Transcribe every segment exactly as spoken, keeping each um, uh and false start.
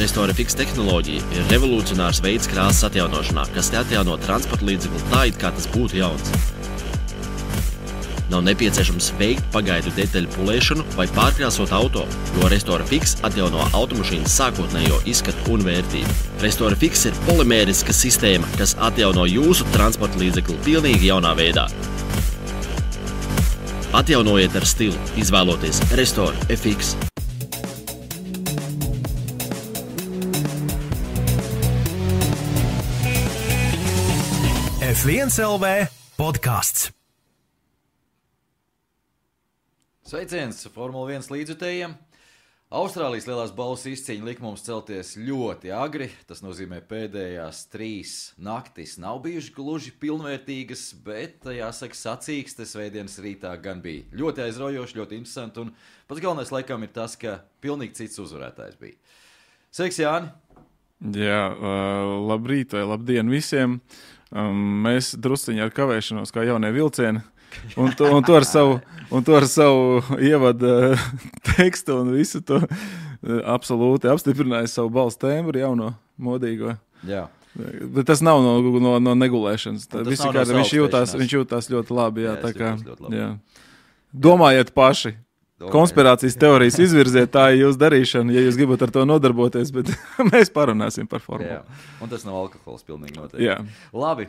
Restorafix tehnoloģija ir revolucionārs veids krāsas atjaunošanā, kas te atjauno transporta līdzekli tā, it kā tas būtu jauns. Nav nepieciešams veikt pagaidu detaļu pulēšanu vai pārkrāsot auto, jo Restorafix atjauno automašīnas sākotnējo izskatu un vērtību. Restorafix ir polimēriska sistēma, kas atjauno jūsu transporta līdzekli pilnīgi jaunā veidā. Atjaunojiet ar stilu, izvēloties Restorafix. F viens L V podcasts. Sveiciens Formula viens līdzjutējiem. Austrālijas lielās balvas izcīņa lika mums celties ļoti agri. Tas nozīmē pēdējās trīs naktis nav bijuši gluži pilnvērtīgas, bet, jāsaka, sacīkstes svētdienas rītā gan bija ļoti aizraujoši, ļoti interesanti. Un pats galvenais laikam ir tas, ka pilnīgi cits uzvarētājs bija. Sveiks, Jāni! Jā, uh, labrīt vai labdien visiem! Um, mēs drusciņi ar kavēšanos kā jaunie vilcieni, un to, un to, ar, savu, un to ar savu ievadu uh, tekstu un visu to uh, absolūti apstiprināja savu balss tembru jauno, modīgo. Jā. Bet tas nav no, no, no negulēšanas. Tā, tas nav kā, no viņš, jūtās, viņš jūtās ļoti labi. Jā, jā, tā kā, ļoti labi. Jā. Domājiet paši. Konspirācijas teorijas izvirziet, tā ir jūsu darīšana, ja jūs gribat ar to nodarboties, bet mēs parunāsim par formulu. Jā. Un tas nav alkohols pilnīgi noteikti. Jā. Labi,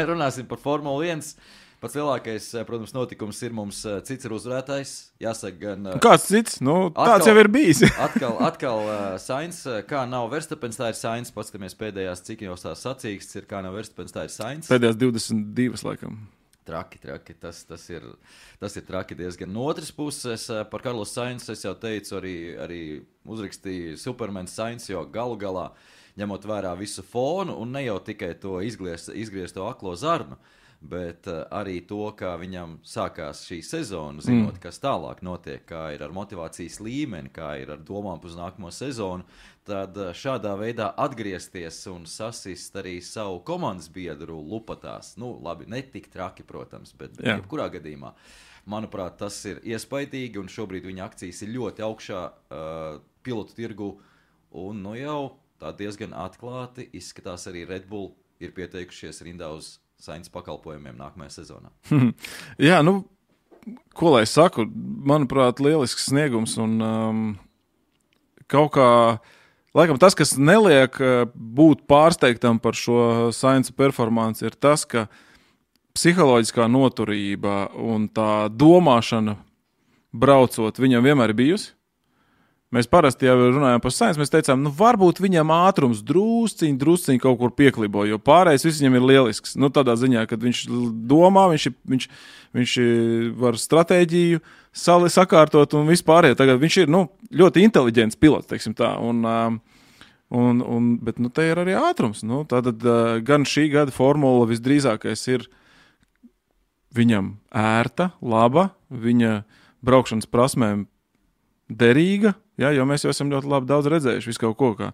runāsim par Formulu viens. Pats lielākais, protams, notikums ir mums cits ir uzvarētājs. Jāsaka gan... Kāds cits? Nu, atkal, tāds jau ir bijis. atkal, atkal uh, Sainz, kā nav Verstapens, tā ir Sainz. Paskatāmies pēdējās, cik jau tās sacīkstes ir, kā nav Verstapens, tā ir Sainz. Pēdējās divdesmit divas, laikam. Traki, traki, tas, tas, ir, tas ir traki diezgan. No otras puses, par Karlos Sainz es jau teicu, arī, arī uzrakstīju Superman Sainz, jo galu galā, ņemot vērā visu fonu, un ne jau tikai to izgriezt, izgriezt to aklo zarnu, bet arī to, kā viņam sākās šī sezona, zinot, mm. kas tālāk notiek, kā ir ar motivācijas līmeni, kā ir ar domām uz nākamo sezonu, tad šādā veidā atgriezties un sasist arī savu komandas biedru lupatās. Nu, labi, ne tik traki, protams, bet Jā. jebkurā gadījumā. Manuprāt, tas ir iespaidīgi, un šobrīd viņa akcijas ir ļoti augšā uh, pilotu tirgu, un nu jau tā diezgan atklāti izskatās arī Red Bull ir pieteikušies rindā uz Sainz pakalpojumiem nākamajā sezonā. Jā, nu, ko lai saku, manuprāt, lielisks sniegums un um, kaut kā, laikam tas, kas neliek būt pārsteigtam par šo Sainz performanci, ir tas, ka psiholoģiskā noturība un tā domāšana braucot viņam vienmēr ir bijusi. Mēs parasti jau runājām par Sainz, mēs teicām, nu varbūt viņam ātrums drusciņ, drusciņ kaut kur pieklibo, jo pārējais viss viņam ir lielisks. Nu tādā ziņā, kad viņš domā, viņš, viņš, viņš var stratēģiju sali sakārtot un vispārējo. Tagad viņš ir, nu, ļoti inteliģents pilots, teiksim tā, un, un, un, bet, nu, te ir arī ātrums. Nu, tātad gan šī gada formula visdrīzākais ir viņam ērta, laba, viņa braukšanas prasmēm derīga, jā, jo mēs jau esam ļoti labi daudz redzējuši visu kaut ko, kā,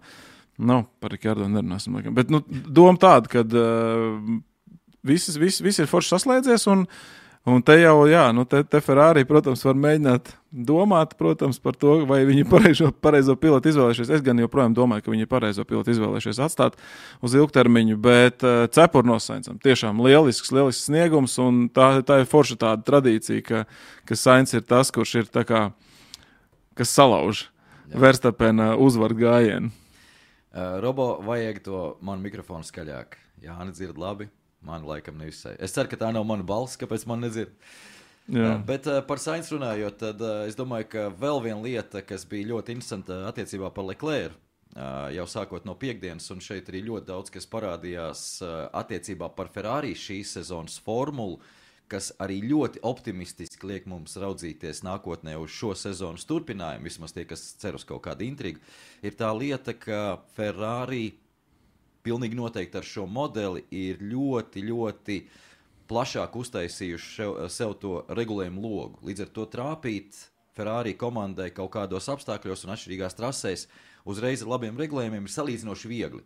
nu, par Rikardo nerunāsim, laikam, bet, nu, doma tāda, kad uh, viss, viss, viss ir forši saslēdzies, un, un te jau, jā, nu, te, te Ferrari, protams, var mēģināt domāt, protams, par to, vai viņi pareizo, pareizo pilotu izvēlējušies. Es gan joprojām domāju, ka viņi pareizo pilotu izvēlējušies atstāt uz ilgtermiņu, bet uh, cepur no Sainzam. Tiešām lielisks, lielisks sniegums, un tā, tā ir forša tāda tradīcija, ka, ka Sainz ir tas, kurš ir tā kā kas salauž Verstapena uzvaru gājienu. Uh, Robo, vajag to manu mikrofonu skaļāk. Jāni dzird labi, man laikam nevisai. Es ceru, ka tā nav mana balss, kāpēc man nedzird. Uh, bet uh, par Sainz runājot, tad uh, es domāju, ka vēl viena lieta, kas bija ļoti interesanta attiecībā par Leclerc, uh, jau sākot no piekdienas, un šeit arī ļoti daudz, kas parādījās uh, attiecībā par Ferrari šīs sezonas formulu, kas arī ļoti optimistiski liek mums raudzīties nākotnē uz šo sezonas turpinājumu, vismaz tie, kas cer uz kaut kādu intrigu, ir tā lieta, ka Ferrari pilnīgi noteikti ar šo modeli ir ļoti, ļoti plašāk uztaisījuši sev, sev to regulējumu logu. Līdz ar to trāpīt Ferrari komandai kaut kādos apstākļos un atšķirīgās trasēs uzreiz ar labiem regulējumiem ir salīdzinoši viegli.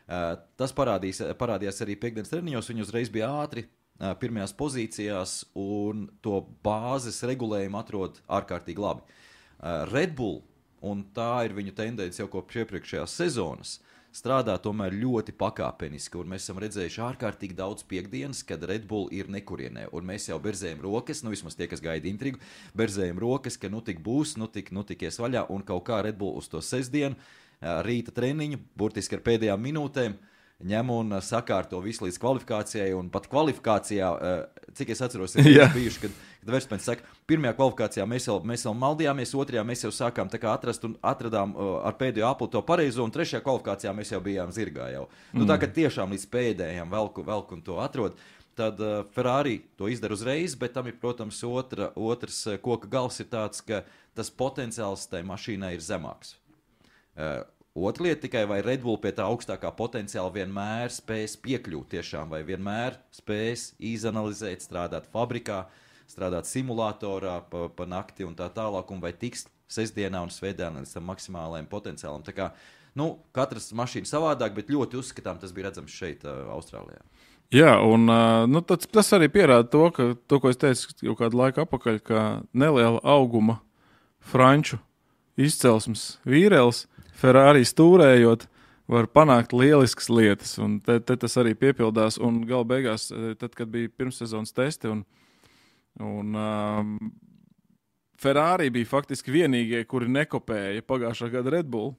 Tas parādīs, parādījās arī piekdienas treniņos, viņi uzreiz bija ātri, pirmajās pozīcijās un to bāzes regulējumu atrod ārkārtīgi labi. Red Bull un tā ir viņu tendence jau kopš iepriekšējās sezonas, strādā tomēr ļoti pakāpeniski, un mēs esam redzējuši ārkārtīgi daudz piekdienas, kad Red Bull ir nekurienē, un mēs jau berzējam rokas, nu vismaz tie, kas gaida intrigu, berzējam rokas, ka nu tik būs, nu tik, nu tik ies vaļā, un kaut kā Red Bull uz to sestdienu, rīta treniņu, burtiski ar pēdējām minūtēm, ņem un sakārto visu līdz kvalifikācijai, un pat kvalifikācijā, cik es atceros, ir yeah. bijuši, kad, kad Verstapens saka, pirmajā kvalifikācijā mēs jau, mēs jau maldījāmies, otrajā mēs jau sākām tā kā atrast un atradām ar pēdējo apli to pareizo, un trešajā kvalifikācijā mēs jau bijām zirgā jau. Mm. Nu tā, ka tiešām līdz pēdējām velku, velku un to atrod, tad uh, Ferrari to izdara uzreiz, bet tam ir, protams, otra, otrs koka gals ir tāds, ka tas potenciāls tai mašīnai ir zemāks. Uh, Otra lieta tikai, vai Red Bull pie tā augstākā potenciāla vienmēr spēs piekļūt tiešām, vai vienmēr spēs izanalizēt, strādāt fabrikā, strādāt simulatorā pa, pa nakti un tā tālāk, un vai tiks sestdienā un svētdienā līdz tam maksimālajam potenciālam. Tā kā, nu, katras mašīna savādāk, bet ļoti uzskatām, tas bija redzams šeit, uh, Austrālijā. Jā, un uh, nu, tas, tas arī pierāda to, ka to, ko es teicu jau kādu laiku apakaļ, ka neliela auguma franču izcelsmes vīrēls Ferrari stūrējot, var panākt lieliskas lietas, un te, te tas arī piepildās, un gala beigās, tad, kad bija pirmssezonas testi, un, un um, Ferrari bija faktiski vienīgie, kuri nekopēja pagājušā gada Red Bull,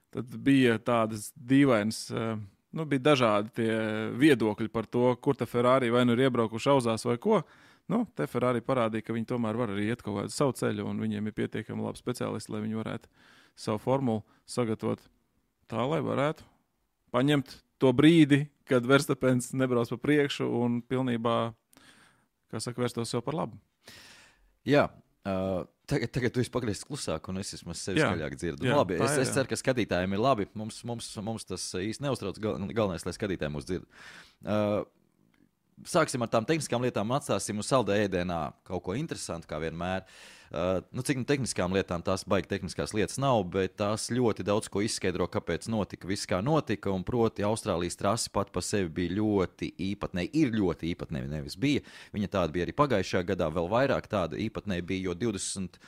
tad bija tādas dīvainas, uh, nu, bija dažādi tie viedokļi par to, kur ta Ferrari vai nu ir iebraukuši auzās vai ko. Nu, te Ferrari parādīja, ka viņi tomēr var arī iet kaut kādu savu ceļu, un viņiem ir pietiekami labi speciālisti, lai viņi varētu savu formulu sagatavot tā, lai varētu paņemt to brīdi, kad Verstapens nebrauc pa priekšu un pilnībā, kā saka, vērstos sev par labu. Jā, uh, tagad, tagad tu esi pagriezis klusāk, un es esmu sevi skaļāk dzirdu. Jā, labi, es, ir, es ceru, ka skatītājiem ir labi. Mums, mums, mums tas īsti neuztrauc, gal, galvenais, lai skatītāji mūs dzird. Uh, Sāksim ar tām tehniskām lietām, atstāsim uz saldā ēdienā kaut ko interesantu, kā vienmēr. Uh, nu, cik nu tehniskām lietām tās baigi tehniskās lietas nav, bet tās ļoti daudz ko izskaidro, kāpēc notika viss, kā notika, un proti Austrālijas trasi pat pa sevi bija ļoti īpatnēji, ir ļoti īpatnēji, nevis bija. Viņa tāda bija arī pagājušajā gadā, vēl vairāk tāda īpatnēji bija, jo divdesmit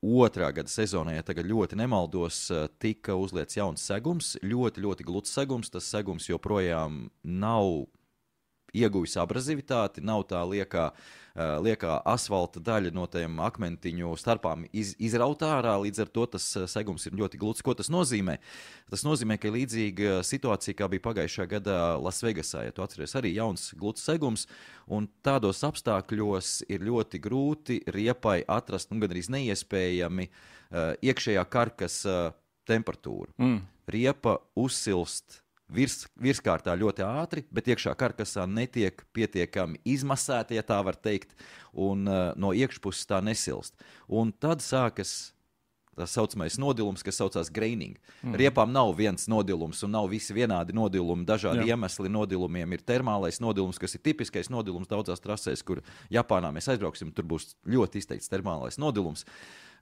otrā gada sezonā, ja tagad ļoti nemaldos, tika uzliets jauns segums, ļoti, ļoti gluds segums, tas segums joprojām nav ieguvis abrazivitāti, nav tā liekā, liekā asfalta daļa no tiem akmentiņu starpām iz, izrautā ārā, līdz ar to tas segums ir ļoti gluds. Ko tas nozīmē? Tas nozīmē, ka ir līdzīga situācija, kā bija pagājušā gadā Lasvegasā, ja tu atceries, arī jauns gluds segums, un tādos apstākļos ir ļoti grūti riepai atrast, nu, gan arī neiespējami iekšējā karkas temperatūru. Mm. Riepa uzsilst Virs, virskārtā ļoti ātri, bet iekšā karkasā netiek pietiekami izmasēta, ja tā var teikt, un uh, no iekšpuses tā nesilst. Un tad sākas tā saucamais nodilums, kas saucās graining. Mm. Riepām nav viens nodilums un nav visi vienādi nodilumi, dažādi Jā. iemesli nodilumiem. Ir termālais nodilums, kas ir tipiskais nodilums daudzās trasēs, kur Japānā mēs aizbrauksim, tur būs ļoti izteikts termālais nodilums.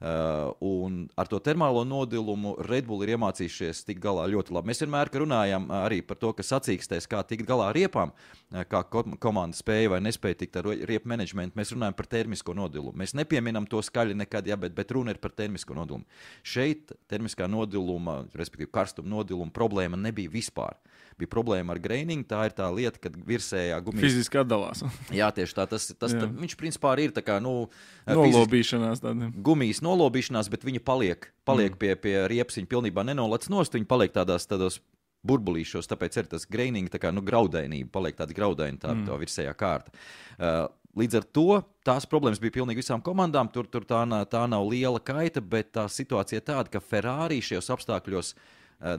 Uh, un ar to termālo nodilumu Red Bull ir iemācījušies tikt galā ļoti labi. Mēs vienmēr runājam arī par to, ka sacīkstēs, kā tikt galā ar riepām, kā komanda spēja vai nespēja tikt ar riepu menedžmentu. Mēs runājam par termisko nodilumu. Mēs nepieminam to skaļi nekad, ja, bet, bet runa ir par termisko nodilumu. Šeit termiskā nodiluma, respektīvi karstuma nodiluma problēma nebija vispār. Bija problēma ar graining, tā ir tā lieta, kad virsējā gumijas... Fiziski atdalās. Jā, tieši tā. Tas, tas, tā, viņš principā ir tā kā, nu... Nolobīšanās tāda. Gumijas nolobīšanās, bet viņa paliek, paliek mm. pie, pie riepsiņa pilnībā nenolec nost, viņa paliek tādās, tādos burbulīšos, tāpēc ir tas graining, tā kā, nu, graudainība, paliek tāda graudaina tā, mm. tā virsējā kārta. Uh, līdz ar to tās problēmas bija pilnīgi visām komandām, tur, tur tā, tā nav liela kaita, bet tā situācija ir tāda, ka Ferrari šajos apstākļos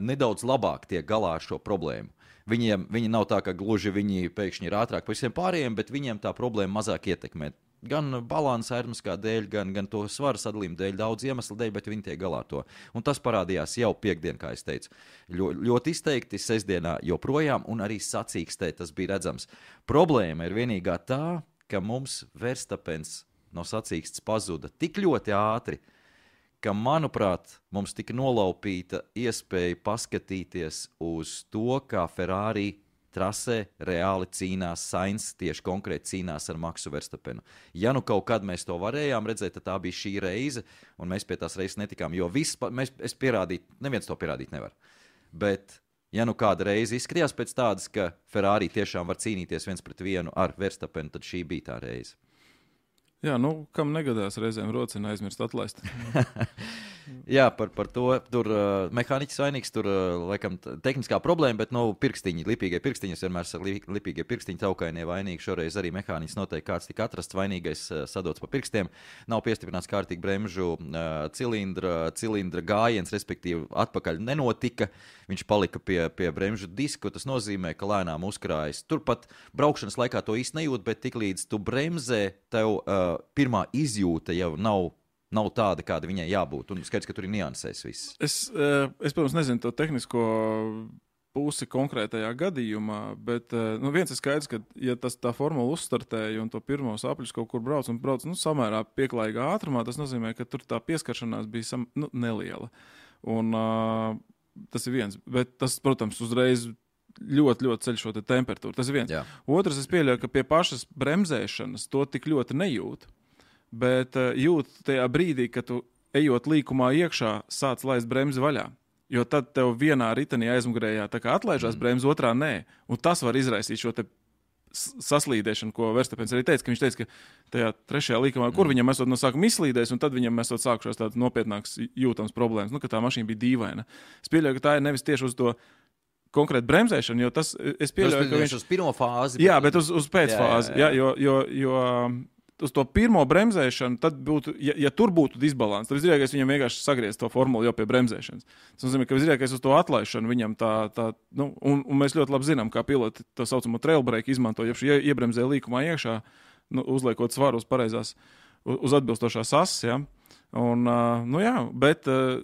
nedaudz labāk tiek galā ar šo problēmu. Viņiem, viņi nav tā, ka gluži viņi pēkšņi ir ātrāk par visiem pārējiem, bet viņiem tā problēma mazāk ietekmē. Gan balansa aerodinamiskā dēļ, gan, gan to svaru sadalījumu dēļ, daudz iemeslu dēļ, bet viņi tiek galā ar to. Un tas parādījās jau piekdien, kā es teicu. Ļo, ļoti izteikti sestdienā joprojām, un arī sacīkstē tas bija redzams. Problēma ir vienīgā tā, ka mums Verstapens no sacīkstes pazuda tik ļoti ātri, ka, manuprāt, mums tika nolaupīta iespēja paskatīties uz to, kā Ferrari trasē reāli cīnās Sainz, tieši konkrēti cīnās ar Maksu Verstapenu. Ja nu kaut kad mēs to varējām redzēt, tad tā bija šī reize, un mēs pie tās reizes netikām, jo viss, mēs, es pierādīt, neviens to pierādīt nevar. Bet, ja nu kāda reize izskatījās pēc tādas, ka Ferrari tiešām var cīnīties viens pret vienu ar Verstapenu, tad šī bija tā reize. Jā, nu, kam negadās reizēm rocina aizmirst atlaist. Jā, par, par to. Tur uh, mehāniķis vainīgs, tur uh, laikam tehniskā problēma, bet, nu, pirkstiņi, lipīgie pirkstiņi, es vienmēr saku, lipīgie pirkstiņi taukainie vainīgi. Šoreiz arī mehāniķis noteikti kāds tika atrasts vainīgais, uh, sadots pa pirkstiem. Nav piestiprināts kārtīgi bremžu uh, cilindra, cilindra gājiens, respektīvi atpakaļ nenotika. Viņš palika pie, pie bremžu disku, tas nozīmē, ka lēnām uzkrājas. Turpat braukšanas laikā to īsti nejūt, bet tiklīdz tu bremzē, tev uh, pirmā izjūta jau nav, nav tāda, kāda viņai jābūt. Un skaidrs, ka tur ir niansēs viss. Es, uh, es protams, nezinu to tehnisko pusi konkrētajā gadījumā, bet uh, nu, viens ir skaidrs, ka ja tas tā formula uzstartēja un to pirmos apļus kaut kur brauc un brauc nu, samērā pieklājīgā ātrumā, tas nozīmē, ka tur tā pieskaršanās bija sam, nu, neliela. Un uh, tas ir viens, bet tas, protams, uzreiz ļoti, ļoti ceļ šo te temperatūru. Tas ir viens. Jā. Otrs, es pieļauju, ka pie pašas bremzēšanas to tik ļoti nejūt, bet uh, jūt tajā brīdī, kad tu ejot līkumā iekšā, sāc laist bremzi vaļā. Jo tad tev vienā ritenī aizmugurējā tā kā atlaižās mm. bremzi, otrā nē. Un tas var izraisīt šo te saslīdēšanu, ko Verstapens arī teica, ka viņš teica, ka tajā trešajā līkumā, kur viņam esot no sākuma izslīdējis, un tad viņam esot sākušās tādas nopietnākas jūtams problēmas, nu, ka tā mašīna bija dīvaina. Es pieļauju, ka tā ir nevis tieši uz to konkrētu bremzēšanu, jo tas, es pieļauju, ka viņš... uz pirmo fāzi. Jā, bet uz, uz pēcfāzi, jā, jā. Jā, jo, jo, jo uz to pirmo bremzēšanu, tad būtu, ja, ja tur būtu disbalans, tad visdrīzākais viņam vienkārši sagriez to formulu jau pie bremzēšanas. Tas nozīmē, ka visdrīzākais uz to atlaišanu viņam tā, tā nu, un, un mēs ļoti labi zinām, kā piloti to saucamo trail break izmanto, ja šī iebremzē līkumā iekšā, nu, uzliekot svaru uz pareizās, uz, uz atbilstošās asas, ja. Un, uh, nu jā, bet uh,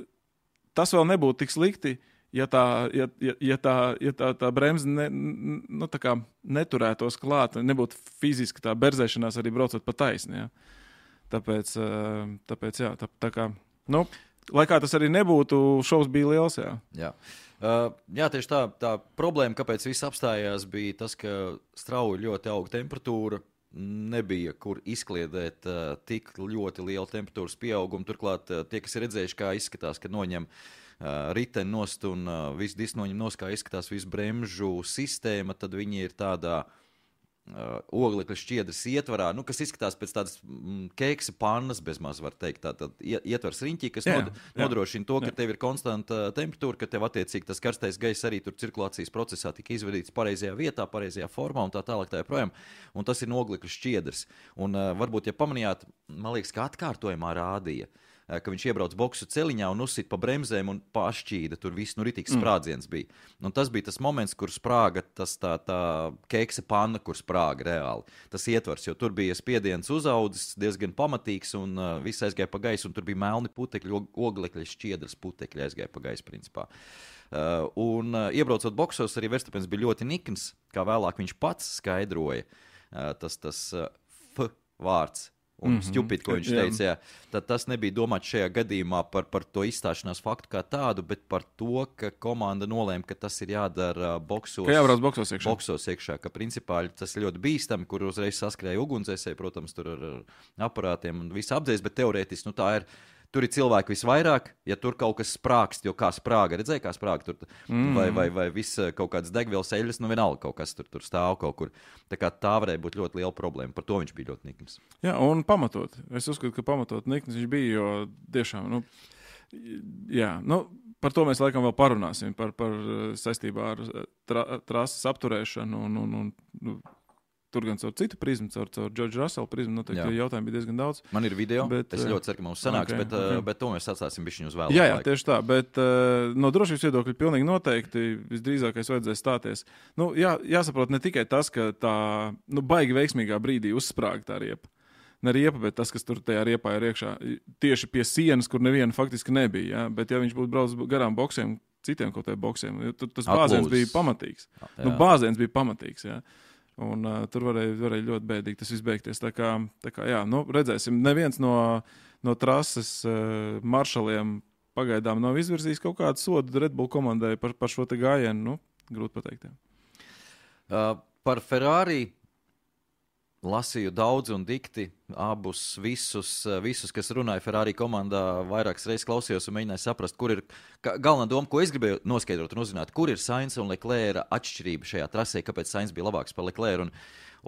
tas vēl nebūtu tik slikti, ja tā, ja, ja, ja tā, ja tā, tā bremze ne, nu, tā kā neturētos klāt, nebūtu fiziski tā berzēšanās arī braucot pa taisni. Ja. Tāpēc, tāpēc jā, tā, tā kā, nu, lai kā tas arī nebūtu, šovs bija liels, jā. Jā. Uh, jā, tieši tā, tā problēma, kāpēc viss apstājās, bija tas, ka strauji ļoti auga temperatūra, nebija, kur izkliedēt uh, tik ļoti lielu temperatūras pieaugumu. Turklāt uh, tie, kas ir redzējuši, kā izskatās, kad noņem uh, riteni nost un uh, visu disku noņem nost, kā izskatās visu bremžu sistēma, tad viņi ir tādā uh, oglekļa šķiedras ietvarā, nu, kas izskatās pēc tādas mm, keksa pannas, bezmaz var teikt, tātad ietvars riņķī, kas jā, nod, jā, nodrošina to, ka jā. Tev ir konstanta temperatūra, ka tev attiecīgi tas karstais gaiss arī tur cirkulācijas procesā tika izvedīts pareizajā vietā, pareizajā formā un tā tālāk tā joprojām. Un tas ir oglekļa šķiedras. Un uh, varbūt, ja pamanījāt, man liekas, ka atkārtojumā rādīja, ka viņš iebrauc boksu celiņā un uzsit pa bremzēm un pašķīda, tur viss nu ritīgs sprādziens bija. Un tas bija tas moments, kur sprāga tas tā, tā keksa panna, kur sprāga reāli. Tas ietvars, jo tur bija spiediens uzaudzis diezgan pamatīgs un uh, viss aizgāja pa gaisu, un tur bija melni putekļi, oglekļa šķiedras putekļi aizgāja pa gaisu, principā. Uh, un uh, iebraucot boksos, arī Verstapens bija ļoti nikns, kā vēlāk viņš pats skaidroja, uh, tas, tas uh, F vārds. Un mm-hmm. stupid, ko viņš teica, jā. Tad tas nebija domāts šajā gadījumā par, par to izstāšanās faktu kā tādu, bet par to, ka komanda nolēma, ka tas ir jādara boksos. Ka jābrauc boksos iekšā. Boksos iekšā, ka principā tas ir ļoti bīstami, kur uzreiz saskrēja ugunsdzēsēji, protams, tur ar aparātiem un visu apdzēs, bet teorētiski, nu tā ir, tur ir cilvēki visvairāk, ja tur kaut kas sprākst, jo kā sprāga, redzēja, kā sprāga tur, mm. vai, vai, vai viss kaut kāds degvielas eļļas, nu vienalga kaut kas tur, tur stāv kaut kur. Tā kā tā varēja būt ļoti liela problēma, par to viņš bija ļoti nikns. Jā, un pamatot. Es uzskatu, ka pamatot nikns viņš bija, jo tiešām, nu, jā, nu, par to mēs laikam vēl parunāsim, par, par saistībā ar tra, trases apturēšanu un, un, un, un tur gan caur citu prizmu, caur, caur George Russell prizmu, noteikti jautājumu bija diezgan daudz. Man ir video, bet, es ļoti ceru, ka mums sanāks, okay, bet, okay. bet to mēs atstāsim bišķiņu uz vēlāk. Jā, jā, tieši tā, bet uh, no drošības viedokļa pilnīgi noteikti visdrīzākais vajadzēs stāties. Nu, jā, jāsaprot ne tikai tas, ka tā, nu, baigi veiksmīgā brīdī uzsprāga tā riepa. Ne riepa, bet tas, kas tur tajā riepā ir iekšā, tieši pie sienas, kur neviena faktiski nebija, jā, bet ja viņš būtu braucis garām boksiem, citiem kaut tādiem boksiem, tas bāziens bija pamatīgs. Jā. Nu, bāziens bija pamatīgs, jā. Un uh, tur varēja, varēja ļoti bēdīgi tas viss beigties. Tā kā, tā kā jā, nu, redzēsim, neviens no, no trases uh, maršaliem pagaidām nav izvirzījis kaut kādu sodu Red Bull komandai par, par šo te gājienu, nu, grūti pateikt. Jā. Uh, par Ferrari lasīju daudz un dikti, abus visus, visus, kas runāja Ferrari komandā, vairākas reizes klausījos un mēģināju saprast, kur ir galvenā doma, ko es gribēju noskaidrot un uzzināt, kur ir Sainz un Leclerca atšķirība šajā trasē, kāpēc Sainz bija labāks par Leclercu. Un,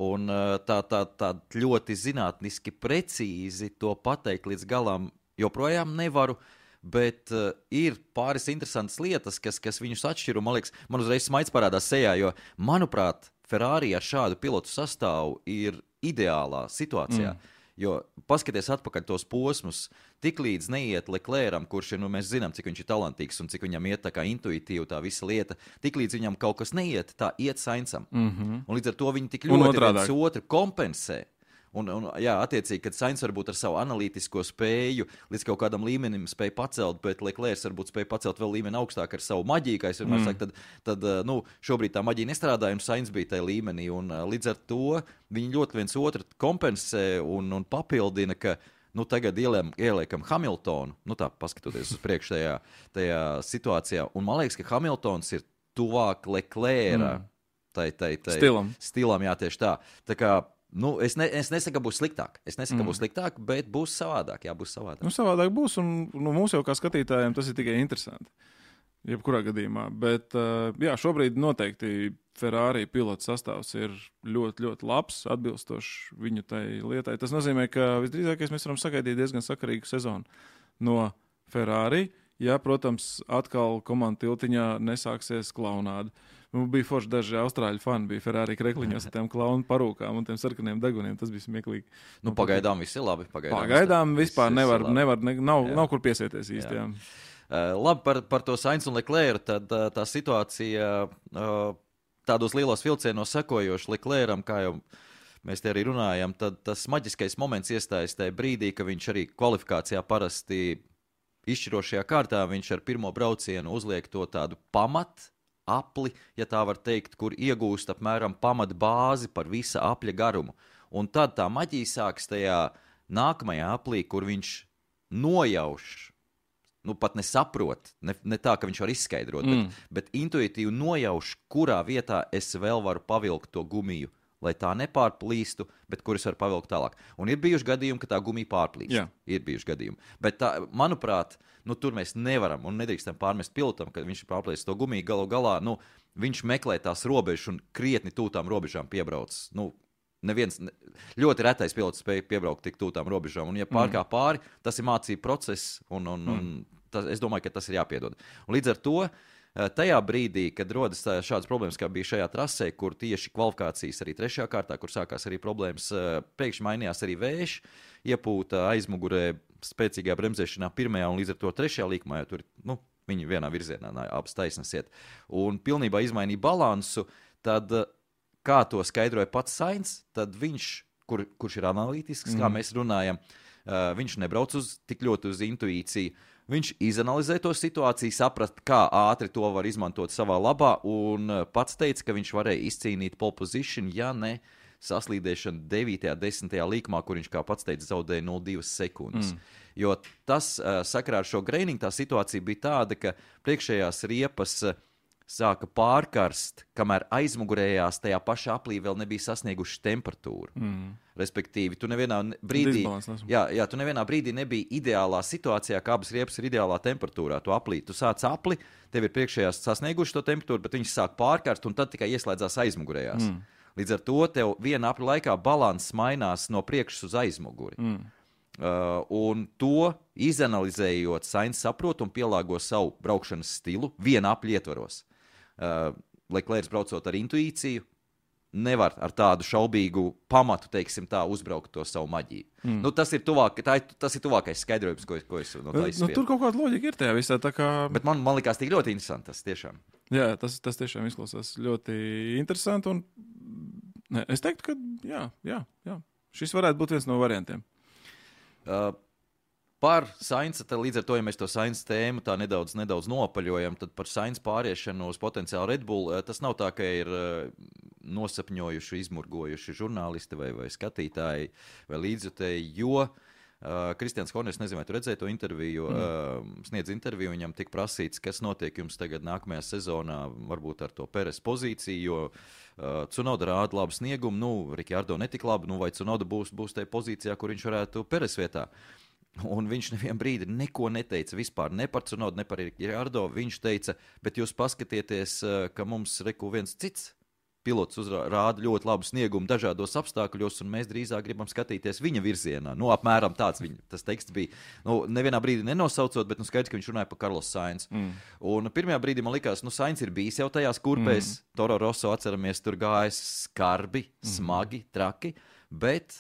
un tā, tā, tā ļoti zinātniski precīzi to pateikt līdz galam joprojām nevaru, bet uh, ir pāris interesantas lietas, kas, kas viņus atšķir, un man liekas, man uzreiz smaids parādās sejā, jo, manuprāt, Ferrari ar šādu pilotu sastāvu ir ideālā situācijā, mm. jo paskaties atpakaļ tos posmus, tik līdz neiet Leclercam, kurš ir, nu, mēs zinām, cik viņš ir talantīgs un cik viņam iet tā kā intuitīvi tā visa lieta, tik līdz viņam kaut kas neiet, tā iet Sainzam. Mm-hmm. Un līdz ar to viņi tik ļoti viens otru kompensē. Un, un, jā, attiecīgi, kad Sainz varbūt ar savu analītisko spēju līdz kaut kādam līmenim spēja pacelt, bet Leclerc varbūt spēja pacelt vēl līmeni augstāk ar savu maģiju, kā es vienmēr mm. saku, tad, tad nu, šobrīd tā maģija nestrādāja un Sainz bija tajā līmenī. Un līdz ar to viņi ļoti viens otru kompensē un, un papildina, ka nu, tagad ieliekam, ieliekam Hamiltonu, nu tā, paskatoties uz priekšu tajā, tajā situācijā. Un man liekas, ka Hamiltons ir tuvāk Leclerca mm. tai, tai, tai stilam. stilam, jā, tieši tā. Tā kā Nu, es, ne, es nesaku, ka būs sliktāk. Es nesaku, ka mm. būs sliktāk, bet būs savādāk. Jā, būs savādāk. Nu, savādāk būs, un nu, mums jau kā skatītājiem tas ir tikai interesanti. Jebkurā gadījumā. Bet jā, šobrīd noteikti Ferrari pilotu sastāvs ir ļoti, ļoti labs, atbilstošs viņu tai lietai. Tas nozīmē, ka visdrīzākais mēs varam sagaidīt diezgan sakarīgu sezonu no Ferrari. Ja, protams, atkal komandu tiltiņā nesāksies klaunāda. Nu, bija forši daži austrāļu fani, bija Ferrari krekliņos ar tiem klaunu parūkām un tiem sarkaniem deguniem. Tas bija smieklīgi. Nu, pagaidām viss ir labi. Pagaidām, pagaidām vispār nevar, nevar ne, nav, nav kur piesieties īsti. Jā. Jā. Uh, labi, par, par to Sainz un Leclercu, tad uh, tā situācija uh, tādos lielos vilcienos sekojoši Leclercam, kā jau mēs te arī runājam, tad tas maģiskais moments iestājas tajā brīdī, ka viņš arī kvalifikācijā parasti izšķirošajā kārtā, viņš ar pirmo braucienu uzliek to tādu pamat apli, ja tā var teikt, kur iegūst apmēram pamat bāzi par visa apļa garumu. Un tad tā maģija sāks tajā nākamajā aplī, kur viņš nojauš, nu pat nesaprot, ne, ne tā, ka viņš var izskaidrot, mm. bet, bet intuitīvi nojauš, kurā vietā es vēl varu pavilkt to gumiju, lai tā nepārplīstu, bet kur es varu pavilkt tālāk. Un ir bijuši gadījumi, ka tā gumija pārplīst. Jā. Ir bijuši gadījumi. Bet tā, manuprāt, nu, tur mēs nevaram un nedrīkstam pārmest pilotam, kad viņš pārplīst to gumiju galu galā. Nu, viņš meklē tās robežas un krietni tūtām robežām piebrauc. Nu, neviens, ļoti retais pilots spēja piebraukt tik tūtām robežām. Un ja pārkā pāri, tas ir mācību process un, un, un tas, es domāju, ka tas ir jāpiedod. Un līdz ar to tajā brīdī, kad rodas šādas problēmas, kā bija šajā trasē, kur tieši kvalifikācijas arī trešajā kārtā, kur sākās arī problēmas, pēkšņi mainījās arī vējš, iepūta aizmugurē spēcīgā bremzēšanā pirmajā un līdz ar to trešajā līkumā, jo tur, nu, viņi vienā virzienā abas taisnas iet. Un pilnībā izmainīja balansu, tad, kā to skaidroja pats Sainz, tad viņš, kur, kurš ir analītisks, mm. kā mēs runājam, viņš nebrauc uz, tik ļoti uz intuīciju. Viņš izanalizē to situāciju, saprast, kā ātri to var izmantot savā labā, un pats teica, ka viņš varēja izcīnīt pole position, ja ne saslīdēšana devītajā, desmitajā līkumā, kur viņš, kā pats teica, zaudēja nulle divas sekundes. Mm. Jo tas, sakarā ar šo greiningu, tā situācija bija tāda, ka priekšējās riepas sāka pārkarst, kamēr aizmugurējās tajā pašā aplī vēl nebija sasnieguši temperatūru. Mm. Respektīvi, tu nevienā brīdī, jā, jā, tu nevienā brīdī nebija ideālā situācijā, kā abas riepas ir ideālā temperatūrā. Tu aplī, tu sāc apli, tev ir priekšējās sasnieguši to temperatūru, bet viņas sāk pārkarst un tad tikai ieslēdzās aizmugurējās. Mm. Līdz ar to tev viena apļa laikā balanss mainās no priekšas uz aizmuguri. Mm. Uh, un to izanalizējot, Sainz saprot un pielāgo savu braukšanas stilu viena apļa ietvaros. Uh, Leclerc braucot ar intuīciju, nevar ar tādu šaubīgu pamatu, teiksim tā, uzbraukt to savu maģiju. Mm. Nu, tas, ir tuvāk, tā ir, tas ir tuvākais skaidrojums, ko, ko es no tā izspiedu. Nu, tur kaut kāda loģika ir tajā visā. Tā kā... Bet man, man likās tik ļoti interesanti tas tiešām. Jā, tas, tas tiešām izklausās ļoti interesanti. Un... Ne, es teiktu, ka jā, jā, jā. Šis varētu būt viens no variantiem. Uh, par Sainza, līdz ar to, ja mēs to Sainza tēmu tā nedaudz, nedaudz nopaļojam, tad par Sainza pāriešanu uz potenciālu Red Bull, tas nav tā, ka ir nosapņojuši, izmurgojuši žurnālisti vai, vai skatītāji vai līdzjutēji, jo Uh, Kristians Horners, nezinu, vai tu redzēji to interviju, mm. uh, sniedz interviju, viņam tika prasīts, kas notiek jums tagad nākamajā sezonā, varbūt ar to Peres pozīciju, jo uh, Tsunoda rāda labu sniegumu, nu, Rikārdo netik labi, nu, vai Tsunoda būs, būs tajā pozīcijā, kur viņš varētu Peres vietā. Un viņš nevienu brīdi neko neteica vispār, ne par Tsunodu, ne par Rikārdo. Viņš teica, bet jūs paskatieties, ka mums reku viens cits pilots rāda ļoti labu sniegumu dažādos apstākļos, un mēs drīzāk gribam skatīties viņa virzienā. Nu, apmēram tāds viņa, tas teksts bija. Nu, nevienā brīdī nenosaucot, bet nu, skaidrs, ka viņš runāja par Carlos Sainz. Mm. Un pirmajā brīdī man likās, nu, Sainz ir bijis jau tajās kurpēs. Mm. Toro Rosso, atceramies, tur gājis skarbi, mm. smagi, traki, bet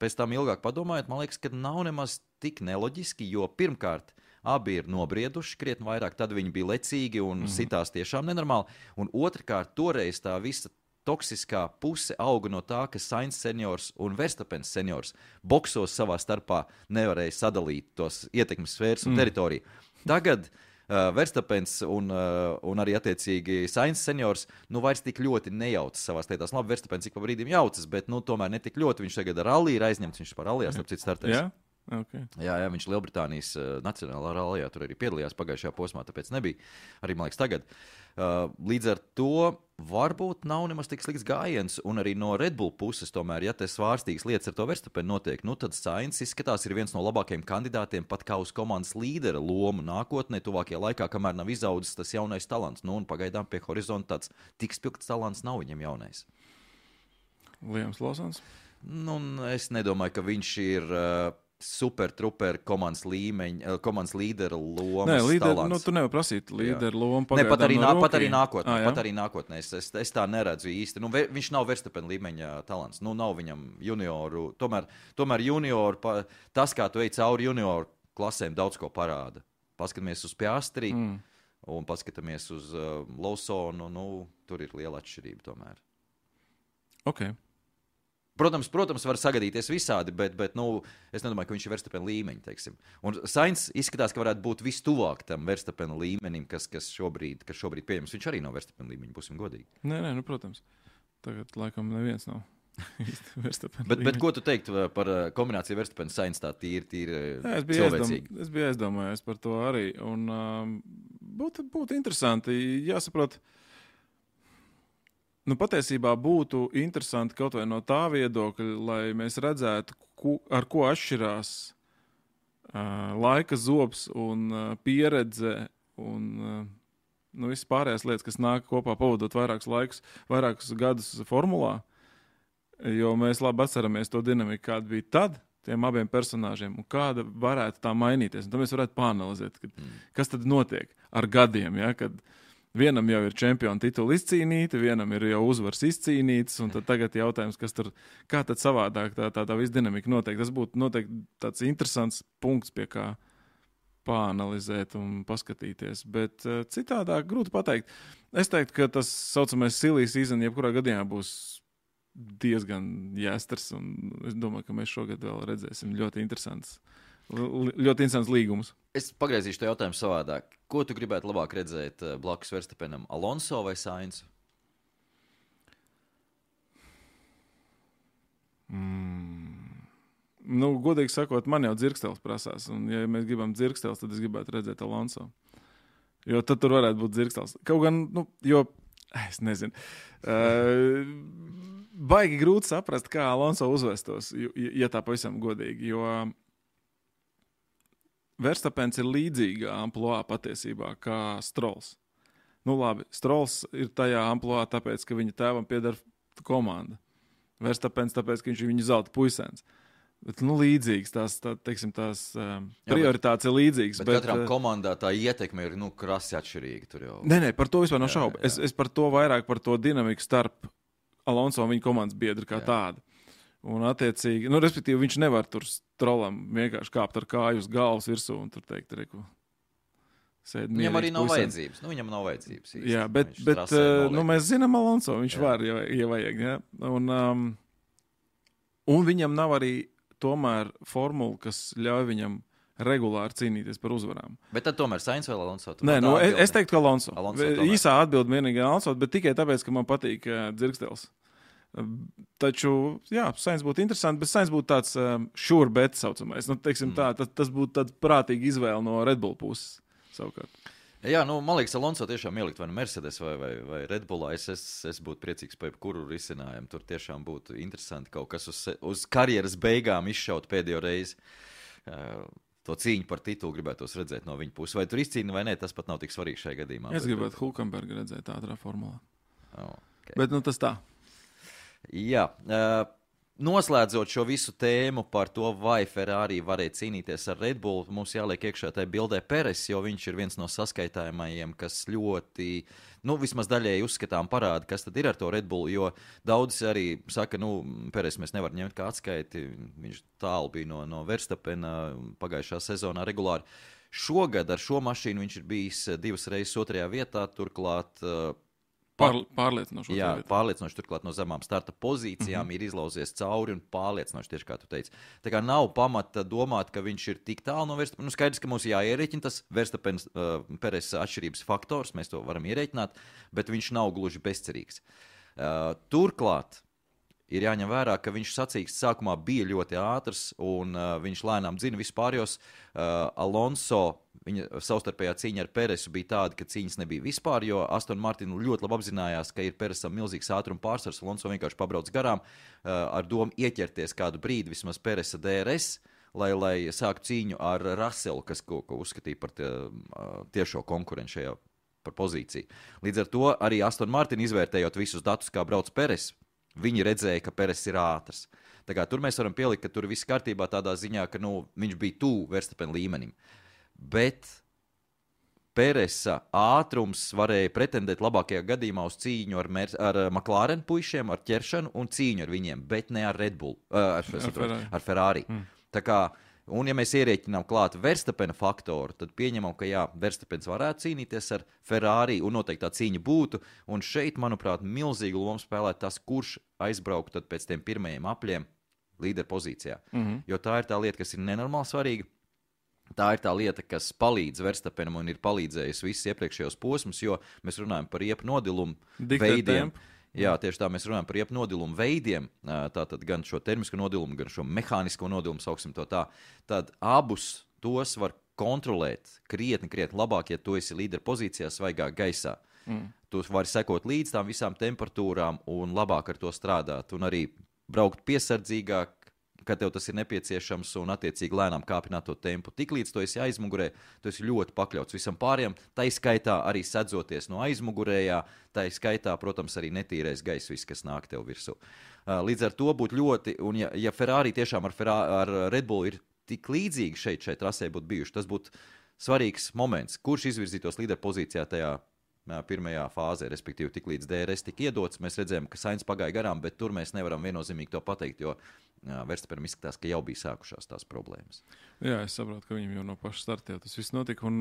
pēc tam ilgāk padomājot, man liekas, ka nav nemaz tik neloģiski, jo pirmkārt, abi ir nobrieduši krietni vairāk, tad viņi bija lecīgi un mm. sitās tiešām nenormāli. Un otrkārt, toreiz tā visa toksiskā puse auga no tā, ka Sainz seniors un Verstapens seniors boksos savā starpā nevarēja sadalīt tos ietekmes sfēras un mm. teritoriju. Tagad uh, Verstapens un, uh, un arī attiecīgi Sainz seniors nu vairs tik ļoti nejaucas savās lietās. Labi, Verstapens ik pa brīdim jaucas, bet nu tomēr ne tik ļoti. Viņš tagad ar rallija ir aizņemts, viņš par rallijā starp citu startēs. Yeah. Okay. Jā, jā, viņš Lielbritānijas uh, nacionālā rallijā tur arī piedalījās pagājušajā posmā, tāpēc nebija. Arī, man liekas, tagad. Uh, līdz ar to varbūt nav nemaz tik slikts gājiens, un arī no Red Bull puses tomēr, ja te svārstīgas lietas ar to Verstapenu notiek, nu tad Sainz izskatās ir viens no labākajiem kandidātiem pat kā uz komandas līdera lomu nākotnē, tuvākajā laikā, kamēr nav izaudzis tas jaunais talants. Nu, un pagaidām pie horizonta tāds tik spilgts talants nav viņam jaunais. Liams Lawsons? Nu, es nedomāju, ka viņš ir... Uh, super, truper komandas līmeņa, komandas līdera lomas Nē, līder, talants. Nu, tu nevar prasīt līdera lomu Ne, pat arī, no nā, pat arī nākotnē, ah, pat arī nākotnē. Es, es, es tā neredzu īsti. Nu, viņš nav Verstappen līmeņa talants. Nu, nav viņam junioru. Tomēr, tomēr junioru, pa, tas, kā tu ej cauri junioru klasēm, daudz ko parāda. Paskatāmies uz Piastri mm. un paskatāmies uz uh, Lawsonu. Nu, tur ir liela atšķirība tomēr. Ok. Protams, protams, var sagadīties visādi, bet, bet nu, es nedomāju, ka viņš ir Verstappen līmeņa, teiksim. Un Sainz izskatās, ka varētu būt vistuvāk tam Verstappen līmenim, kas, kas, šobrīd, kas šobrīd pieejams. Viņš arī nav Verstappen līmeņa, būsim godīgi. Nē, nē, nu, protams. Tagad, laikam, neviens nav Verstappen bet, bet ko tu teiktu par kombināciju Verstappen Sainz tā tīri, tīri jā, es cilvēcīgi? Aizdom, es biju aizdomājies par to arī. Un um, būtu, būtu interesanti, jāsaprot, nu, patiesībā būtu interesanti kaut vai no tā viedokļa, lai mēs redzētu, ku, ar ko atšķirās uh, laika zobs un uh, pieredze un uh, nu, visas pārējās lietas, kas nāk kopā pavadot vairākus laikus, vairākus gadus formulā, jo mēs labi atceramies to dinamiku, kāda bija tad tiem abiem personāžiem un kāda varētu tā mainīties. Un tad mēs varētu pāanalizēt, kad, mm. kas tad notiek ar gadiem, ja, kad vienam jau ir čempiona titula izcīnīta, vienam ir jau uzvars izcīnīts, un tad tagad jautājums, kas tur, kā tad savādāk tā, tā, tā viss dinamika notiek. Tas būtu noteikti tāds interesants punkts, pie kā pāanalizēt un paskatīties. Bet uh, citādāk grūti pateikt. Es teiktu, ka tas saucamais silly season jebkurā gadījumā būs diezgan jāstars, un es domāju, ka mēs šogad vēl redzēsim ļoti interesants ļoti interesants līgums. Es pagriezīšu to jautājumu savādāk. Ko tu gribētu labāk redzēt blakus Verstappenam, Alonso vai Sainz? Mm. Nu, godīgi sakot, man jau dzirkstels prasās, un ja mēs gribam dzirkstels, tad es gribētu redzēt Alonso. Jo tad tur varētu būt dzirkstels. Kaut gan, nu, jo, es nezinu, uh, baigi grūti saprast, kā Alonso uzvestos, ja tā pavisam godīgi, jo Verstappens ir līdzīgā amploā patiesībā kā Strolls. Nu labi, Strolls ir tajā amploā tāpēc, ka viņa tēvam pieder komanda. Verstappens tāpēc, ka viņš ir viņa zelta puisēns. Bet, nu, līdzīgs, tās, tā, teiksim, tās um, prioritātes ir līdzīgas. Bet, bet katram komandā tā ietekme ir, nu, krasi atšķirīga tur jau. Nē, nē, par to vispār nav šaubu. Es, es par to vairāk par to dinamiku starp Alonso un viņa komandas biedru kā jā. Tādu. Un attiecīgi, nu, respektīvi, viņš nevar tur Strollam vienkārši kāpt ar kāju uz galvas virsū un tur teikt, reku, sēd mierīgs. Viņam arī nav puisens. vajadzības. Nu, viņam nav vajadzības. Īsti. Jā, bet, bet nu, mēs zinām Alonso, viņš jā. Var, ja, ja vajag, jā. Un, um, un viņam nav arī tomēr formula, kas ļauj viņam regulāri cīnīties par uzvarām. Bet tad tomēr Sainz vai Alonso? Nē, nu, es, es teiktu, ka Alonso. Alonso Īsā atbild vienīgi Alonso, bet tikai tāpēc, ka man patīk uh, dzirkstels. Taču, jā, Sainz būtu interesanti, bet Sainz būtu tāds um, sure bet saucamais. Nu, teiksim, tā, tas, tas būtu tāds prātīgi izvēle no Red Bull puses savukārt. Jā, nu, man liekas, Alonso tiešām ielikt vai nu Mercedes vai, vai, vai Red Bullā. Es, es, es būtu priecīgs par jebkuru risinājumu. Tur tiešām būtu interesanti kaut kas uz, uz karjeras beigām izšaut pēdējo reizi. Uh, to cīņu par titulu gribētos redzēt no viņa puses. Vai tur izcīna vai nē, tas pat nav tik svarīgi šajā gadījumā. Es gribētu Hulkenbergu redzēt ātrā formulā. Oh, okay. Bet nu tas tā. Jā. Uh, Noslēdzot šo visu tēmu par to, vai Ferrari varēja cīnīties ar Red Bull, mums jāliek iekšā tajā bildē Peres, jo viņš ir viens no saskaitājumajiem, kas ļoti, nu, vismaz daļēji uzskatām parāda, kas tad ir ar to Red Bull, jo daudzi arī saka, nu, Peres mēs nevaram ņemt kā atskaiti, viņš tālu bija no, no Verstapena pagājušā sezonā regulāri. Šogad ar šo mašīnu viņš ir bijis divas reizes otrajā vietā, turklāt Pār, pārliecinoši. Jā, pārliecinoši turklāt no zemām starta pozīcijām mm-hmm. ir izlauzies cauri un pārliecinoši, tieši kā tu teici. Tā kā nav pamata domāt, ka viņš ir tik tālu no Verstapena. Nu, skaidrs, ka mums jāierēķina tas Verstapena uh, Peres atšķirības faktors, mēs to varam ierēķināt, bet viņš nav gluži bezcerīgs. Uh, turklāt ir jāņem vērā, ka viņš sacīksts sākumā bija ļoti ātrs un uh, viņš lēnām dzina vispārjos. Uh, Alonso, viņa savstarpējā cīņa ar Peresu bija tāda, ka cīņas nebija vispār, jo Aston Martin ļoti labi apzinājās, ka ir Peresam milzīgs ātruma pārsvars. Alonso vienkārši pabrauc garām uh, ar domu ieķerties kādu brīdi vismaz Peresa D R S, lai, lai sāktu cīņu ar Russelu, kas ko, ko uzskatīja par tie, uh, tiešo konkurenci šajā par pozīciju. Līdz ar to arī Aston Martin izvērtējot visus datus, kā brauc Peres, viņi redzēja, ka Peres ir ātrs. Tā kā tur mēs varam pielikt, ka tur viss kārtībā tādā ziņā, ka nu, viņš bija tuvu Verstapena līmenim. Bet Peresa ātrums varēja pretendēt labākajā gadījumā uz cīņu ar, Mer- ar McLaren puišiem, ar ķeršanu un cīņu ar viņiem, bet ne ar Red Bull, uh, ar, ar Ferrari. Ar Ferrari. Mm. Tā kā, un ja mēs ierēķinām klāt Verstapena faktoru, tad pieņemam, ka jā, Verstapens varētu cīnīties ar Ferrari un noteikti tā cīņa būtu. Un šeit, manuprāt, milzīgu lomu spēlē tas, kurš aizbrauktu tad pēc tiem pirmajiem apļiem līderpozīcijā. Mm-hmm. Jo tā ir tā lieta, kas ir nenormāli svarīga. Tā ir tā lieta, kas palīdz Verstapenam un ir palīdzējusi visus iepriekšējos posmus, jo mēs runājam par riepu nodilumu veidiem. Jā, tieši tā mēs runājam par riepu nodilumu veidiem, tātad gan šo termisko nodilumu, gan šo mehānisko nodilumu, sauksim to tā. Tad abus tos var kontrolēt krietni, krietni labāk, ja tu esi līdera pozīcijā svaigā gaisā. Mm. Tu vari sekot līdz tām visām temperatūrām un labāk ar to strādāt un arī braukt piesardzīgāk, kad tev tas ir nepieciešams un attiecīgi lēnām kāpināt to tempu. Tiklīdz tu esi aizmugurē, tu esi ļoti pakļauts visam pārējiem, tai skaitā arī sedzoties no aizmugurējā, tai skaitā, protams, arī netīrais gaiss, viss, kas nāk tev virsū. Līdz ar to būtu ļoti, un ja, ja Ferrari tiešām ar, Ferrari, ar Red Bull ir tik līdzīgi šeit, šeit trasē būtu bijuši, tas būtu svarīgs moments, kurš izvirzītos līderpozīcijā tajā pirmajā fāzē, respektīvi tik līdz D R S tika iedots. Mēs redzējām, ka Sainz pagāja garām, bet tur mēs nevaram viennozīmīgi to pateikt, jo Verstapenam izskatās, ka jau bija sākušās tās problēmas. Jā, es saprotu, ka viņam jau no paša starta jau tas viss notika. Un,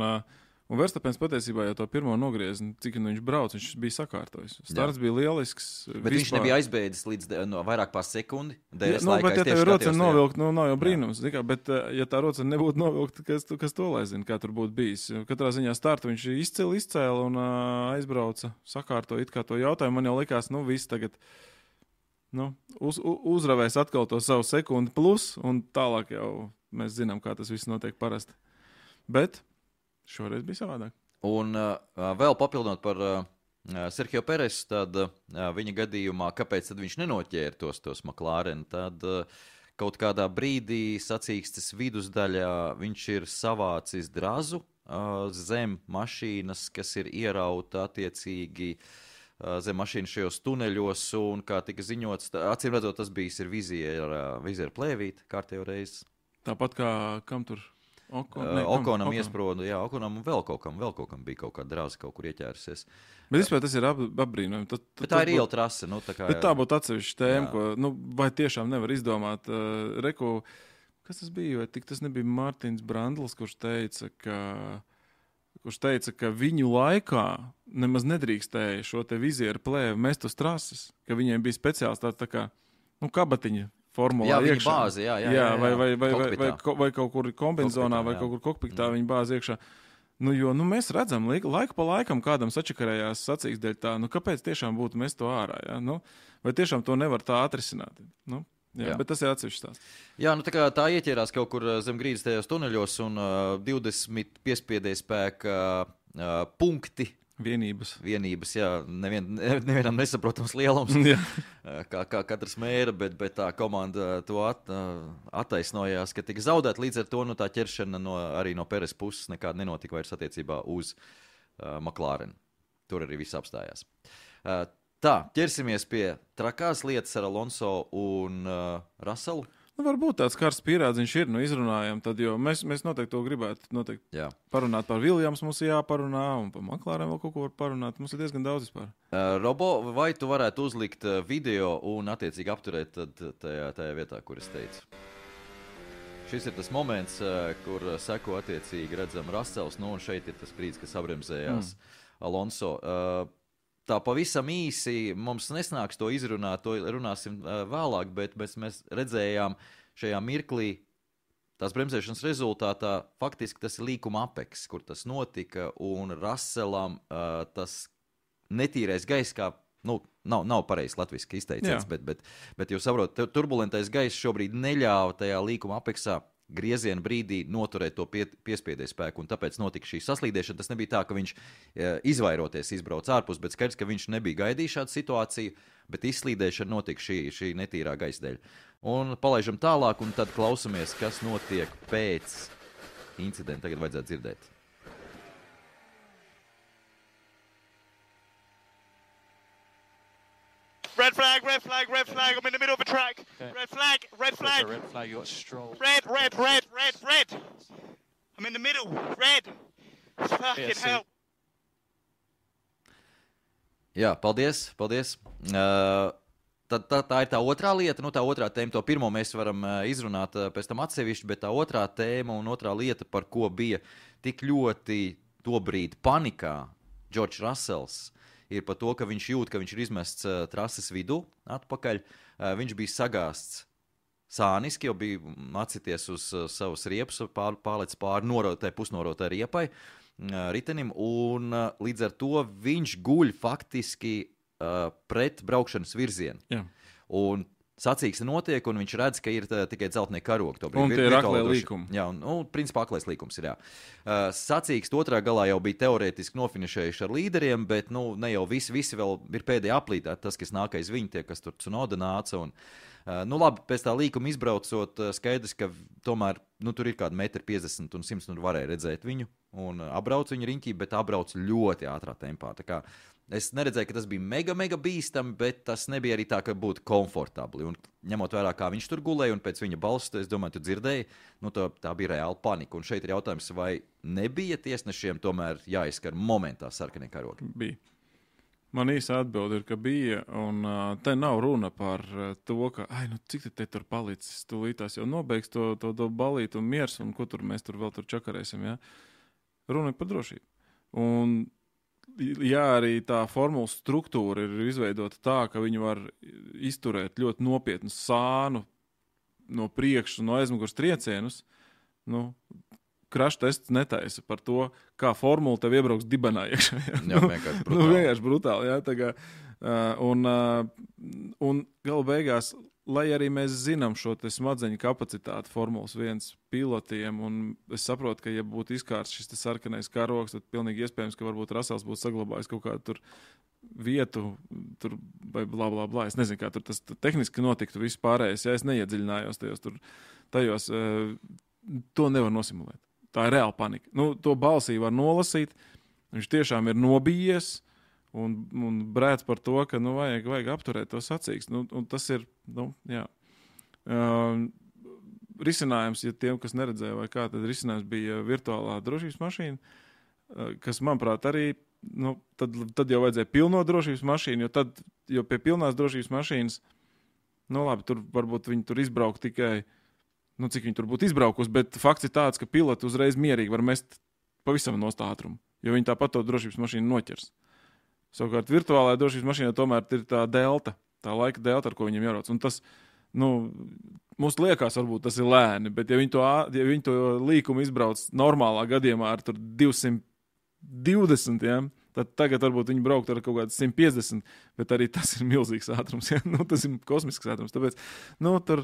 un Verstapens patiesībā jau to pirmo nogriezni, cik nu viņš brauc, viņš bija sakārtojis. Starts Jā. bija lielisks. Bet vispār... viņš nebija aizbēdzis līdz no, vairāk pār sekundi. D R S Jā, nu, laikā, bet ja tev rocena novilkt, nu nav jau brīnums. Kā, bet ja tā rocena nebūtu novilkt, kas, kas to lai zina, kā tur būtu bijis. Katrā ziņā startu viņš izcēla, izcēla un uh, aizbrauca, sakārtoja it kā to jautājumu. Man jau likās, nu viss tagad nu, uz, uzravēs atkal to savu sekundi plus, un tālāk jau mēs zinām, kā tas viss notiek parasti. Bet šoreiz bija savādāk. Un uh, vēl papildinot par uh, Sergio Peresu, tad uh, viņa gadījumā, kāpēc tad viņš nenoķēra tos, tos McLaren, tad uh, kaut kādā brīdī sacīkstes vidusdaļā viņš ir savācis drazu uh, zem mašīnas, kas ir ierauta attiecīgi uh, zem mašīnas šajos tuneļos, un kā tika ziņots, tā, acīm redzot, tas bijis ir viziera, viziera plēvīte kārtējo reizi. Tāpat kā kam tur? Oko, ne, uh, Okonam iesprodu, jā, Okonam un vēl kaut kam, vēl kaut kam bija kaut kāda drāza kaut kur ieķērusies. Bet vispār tas ir ap, apbrīnojami. Bet tā ir iela trase. Nu, tā kā, bet tā būtu atsevišķa tēma, ko, nu, vai tiešām nevar izdomāt. Uh, Reku, kas tas bija, vai tik tas nebija Mārtiņš Brandls, kurš teica, ka, kurš teica, ka viņu laikā nemaz nedrīkstēja šo te vizieru plēvi mest uz trases, ka viņiem bija speciāls tāds tā kā, nu, kabatiņa. Formulā jā, viņa iekšā. bāzi, jā, jā, jā, jā, vai, vai, vai, vai, vai, vai, vai kaut kur kombinzonā, vai jā. kaut kur kokpitā viņa bāzi iekšā. Nu, jo nu, mēs redzam, laiku pa laikam kādam sačakarējās sacīks dēļ tā, nu kāpēc tiešām būtu mest to ārā? Ja? Nu, vai tiešām to nevar tā atrisināt? Nu, jā, jā. Bet tas ir atsevišķs stāsts. Jā, nu tā kā tā ieķērās kaut kur zem grīdas tajos tuneļos un uh, divdesmit piespiedēja spēka uh, punkti. Vienības. Vienības, jā, nevien, nevienam nesaprotams lielums, kā, kā katrs mēra, bet, bet tā komanda to at, attaisnojās, ka tika zaudēt, līdz ar to nu, tā ķeršana no, arī no Peres puses nekāda nenotika vairs attiecībā uz uh, McLaren. Tur arī viss apstājās. Uh, tā, ķersimies pie trakās lietas ar Alonso un uh, Russellu. Nu, varbūt tāds karsts pierādziņš ir, nu izrunājam, tad, jo mēs, mēs noteikti to gribētu noteikti Jā. parunāt par Williams, mums ir jāparunā, un par McLaren vēl kaut ko var parunāt, mums ir diezgan daudz vispār. Uh, Robo, vai tu varētu uzlikt video un attiecīgi apturēt tad tajā, tajā vietā, kur es teicu? Šis ir tas moments, uh, kur seko attiecīgi redzam Russells, nu un šeit ir tas brīdis, kas abremzējās mm. Alonso. Uh, Tā pavisam īsi mums nesnāks to izrunāt, to runāsim uh, vēlāk, bet mēs, mēs redzējām šajā mirklī tās bremzēšanas rezultātā, faktiski tas ir līkuma apeks, kur tas notika, un Russellam uh, tas netīrais gaiss, kā, nu, nav, nav pareizs latviski izteiciens, bet, bet, bet jūs saprotat, turbulentais gaiss šobrīd neļāva tajā līkuma apeksā grieziena brīdī noturēt to pie, piespiedēju spēku, un tāpēc notika šī saslīdēšana. Tas nebija tā, ka viņš e, izvairoties izbrauc ārpus, bet skaidrs, ka viņš nebija gaidījis šādu situāciju, bet izslīdēšana notika šī, šī netīrā gaisa dēļ. Un palaižam tālāk, un tad klausamies, kas notiek pēc incidenta. Tagad vajadzētu dzirdēt. Red flag, red flag, red flag. I'm in the middle of a track. Okay. Red flag, red flag. Red flag, you got Stroll. Red, red, red, red, red. I'm in the middle. Red. Fucking yeah, hell. Jā, paldies, paldies. Uh, tā, tā, tā ir tā otrā lieta, nu tā otrā tēma. To pirmo mēs varam uh, izrunāt uh, pēc tam atsevišķi, bet tā otrā tēma un otrā lieta, par ko bija tik ļoti tobrīd panikā George Russells, ir par to, ka viņš jūt, ka viņš ir izmests uh, trases vidū atpakaļ. Uh, viņš bija sagāsts sāniski, jau bija atsities uz uh, savas riepas, pār, pārlec pāri norotai, pusnorotai riepai uh, ritenim, un uh, līdz ar to viņš guļ faktiski uh, pret braukšanas virzienu. Jā. Un sacīksne notiek, un viņš redz, ka ir tā, tikai dzeltenie karogi. Un tie ir aklē līkumi. Jā, un, nu, principā aklais līkums ir, jā. Uh, sacīksne otrā galā jau bija teorētiski nofinišējuši ar līderiem, bet, nu, ne jau visi, visi vēl ir pēdējā aplītā, tas, kas nākais viņi, tie, kas tur Tsunoda nāca, un, uh, nu, labi, pēc tā līkuma izbraucot, uh, skaidrs, ka tomēr, nu, tur ir kāda metri piecdesmit un simts, nu, varēja redzēt viņu, un uh, apbrauc viņu riņķī, bet apbrauc ļoti ātrā tempā, tā kā es neredzēju, ka tas bija mega, mega bīstami, bet tas nebija arī tā, ka būtu komfortabli. Un ņemot vērā, kā viņš tur gulēja, un pēc viņa balss, es domāju, tu dzirdēji, nu tā, tā bija reāla panika. Un šeit ir jautājums, vai nebija tiesnešiem tomēr jāizskar momentā sarkanie karogi? Bija. Man īsa atbilde ir, ka bija, un uh, te nav runa par uh, to, ka, ai, nu cik te, te tur palicis, tūlītās jau nobeigs to, to, to balīt un miers, un ko tur mēs tur vēl tur čakarēsim, ja? Runa ir par drošību. Un jā, arī tā formulas struktūra ir izveidota tā, ka viņi var izturēt ļoti nopietnu sānu no priekšas, no aizmugures triecienus. Nu, crash tests netaisa par to, kā formula tev iebrauks dibenā iekšā. Jā, jā vienkārši brutāli. Nu, vienkārši brutāli, jā, tā kā, uh, un, uh, un gala beigās, lai arī mēs zinām šo te smadzeņu kapacitāti Formulas viens pilotiem, un es saprotu, ka ja būtu izkārts šis te sarkanais karogs, tad pilnīgi iespējams, ka varbūt Russells būtu saglabājis kaut kādu tur vietu, tur vai blā, blā, blā. Es nezinu, kā tur tas tehniski notiktu viss pārējais, ja es neiedziļinājos tajos tur, tajos, to nevar nosimulēt. Tā ir reāla panika. Nu, to balsī var nolasīt, viņš tiešām ir nobijies, Un, un brēc par to, ka nu, vajag, vajag apturēt to sacīkst. Nu, un tas ir, nu, jā. Uh, risinājums, ja tiem, kas neredzēja vai kā, tad risinājums bija virtuālā drošības mašīna, uh, kas, manuprāt, arī, nu, tad, tad jau vajadzēja pilno drošības mašīnu, jo tad, jo pie pilnās drošības mašīnas, nu, labi, tur varbūt viņi tur izbraukt tikai, nu, cik viņi tur būtu izbraukus, bet fakts ir tāds, ka piloti uzreiz mierīgi var mest pavisam nost ātrumu, jo viņi tāpat to drošības mašīnu noķers. Savukārt virtuālajā drošības mašīnā tomēr ir tā delta, tā laika delta, ar ko viņiem jārauc. Un tas, nu, mums liekas, varbūt tas ir lēni, bet ja viņi to, ja viņi to līkumu izbrauc normālā gadījumā ar tur divsimt divdesmit, ja? Tad tagad varbūt viņi braukt ar kaut kādu simt piecdesmit, bet arī tas ir milzīgs ātrums, ja? Nu, tas ir kosmisks ātrums, tāpēc, nu, tur,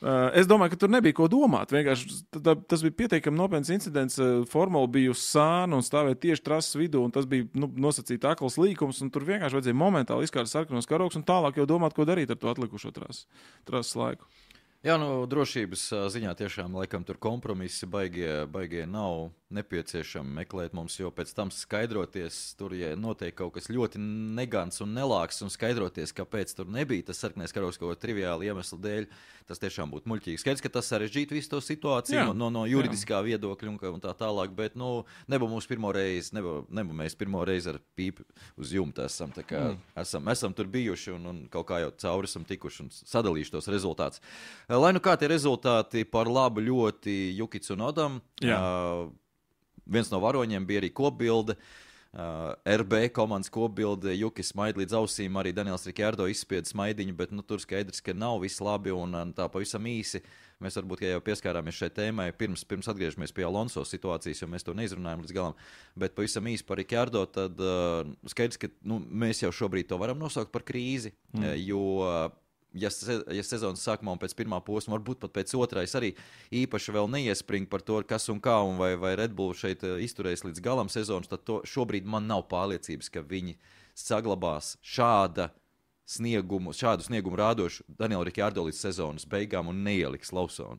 uh, es domāju, ka tur nebija ko domāt, vienkārši tā, tas bija pietiekami nopietns incidents, formula bija uz sānu un stāvēja tieši trases vidū, un tas bija, nu, nosacīta akls līkums, un tur vienkārši vajadzēja momentāli izkārt sarkanos karogus un tālāk jau domāt, ko darīt ar to atlikušo trases, trases laiku. Jā, nu, drošības ziņā tiešām, laikam, tur kompromisi baigie, baigie nav nepieciešami meklēt mums, jo pēc tam skaidroties, tur, ja notiek kaut kas ļoti negants un nelāks, un skaidroties, kāpēc tur nebija tas sarkanais karogs kaut triviāli iemeslu dēļ, tas tiešām būtu muļķīgi. Skaidrs, ka tas sarežģītu visu to situāciju jā, no, no, no juridiskā jā. viedokļa un, un tā tālāk, bet, nu, nebū mums pirmo reizi, nebū, nebū mēs pirmo reizi ar pīpi uz jumta esam, tā kā mm. esam, esam tur bijuši un, un kaut kā jau cauri esam tikuši un sadalījuši tos rezultātus. Lai nu kā tie rezultāti par labu ļoti Juki Tsunodam, uh, viens no varoņiem bija arī kopbilde, uh, R B komandas kopbilde, Juki smaid līdz ausīm, arī Daniels Ricciardo izspieda smaidiņu, bet nu, tur skaidrs, ka nav viss labi un, un tā pavisam īsi. Mēs varbūt, ja jau pieskārāmies šai tēmai, pirms, pirms atgriežamies pie Alonso situācijas, jo mēs to neizrunājam līdz galam, bet pavisam īsi par Ricciardo, tad uh, skaidrs, ka nu, mēs jau šobrīd to varam nosaukt par krīzi, mm. uh, jo uh, Ja, se, ja sezonas sākumā un pēc pirmā posma, varbūt pat pēc otrais arī īpaši vēl neiespring par to, kas un kā, un vai, vai Red Bull šeit izturēs līdz galam sezonas, tad to, šobrīd man nav pārliecības, ka viņi saglabās šāda sniegumu, šādu sniegumu rādošu Danielu Ricciardo līdz sezonas beigām un neieliks Lawsonu.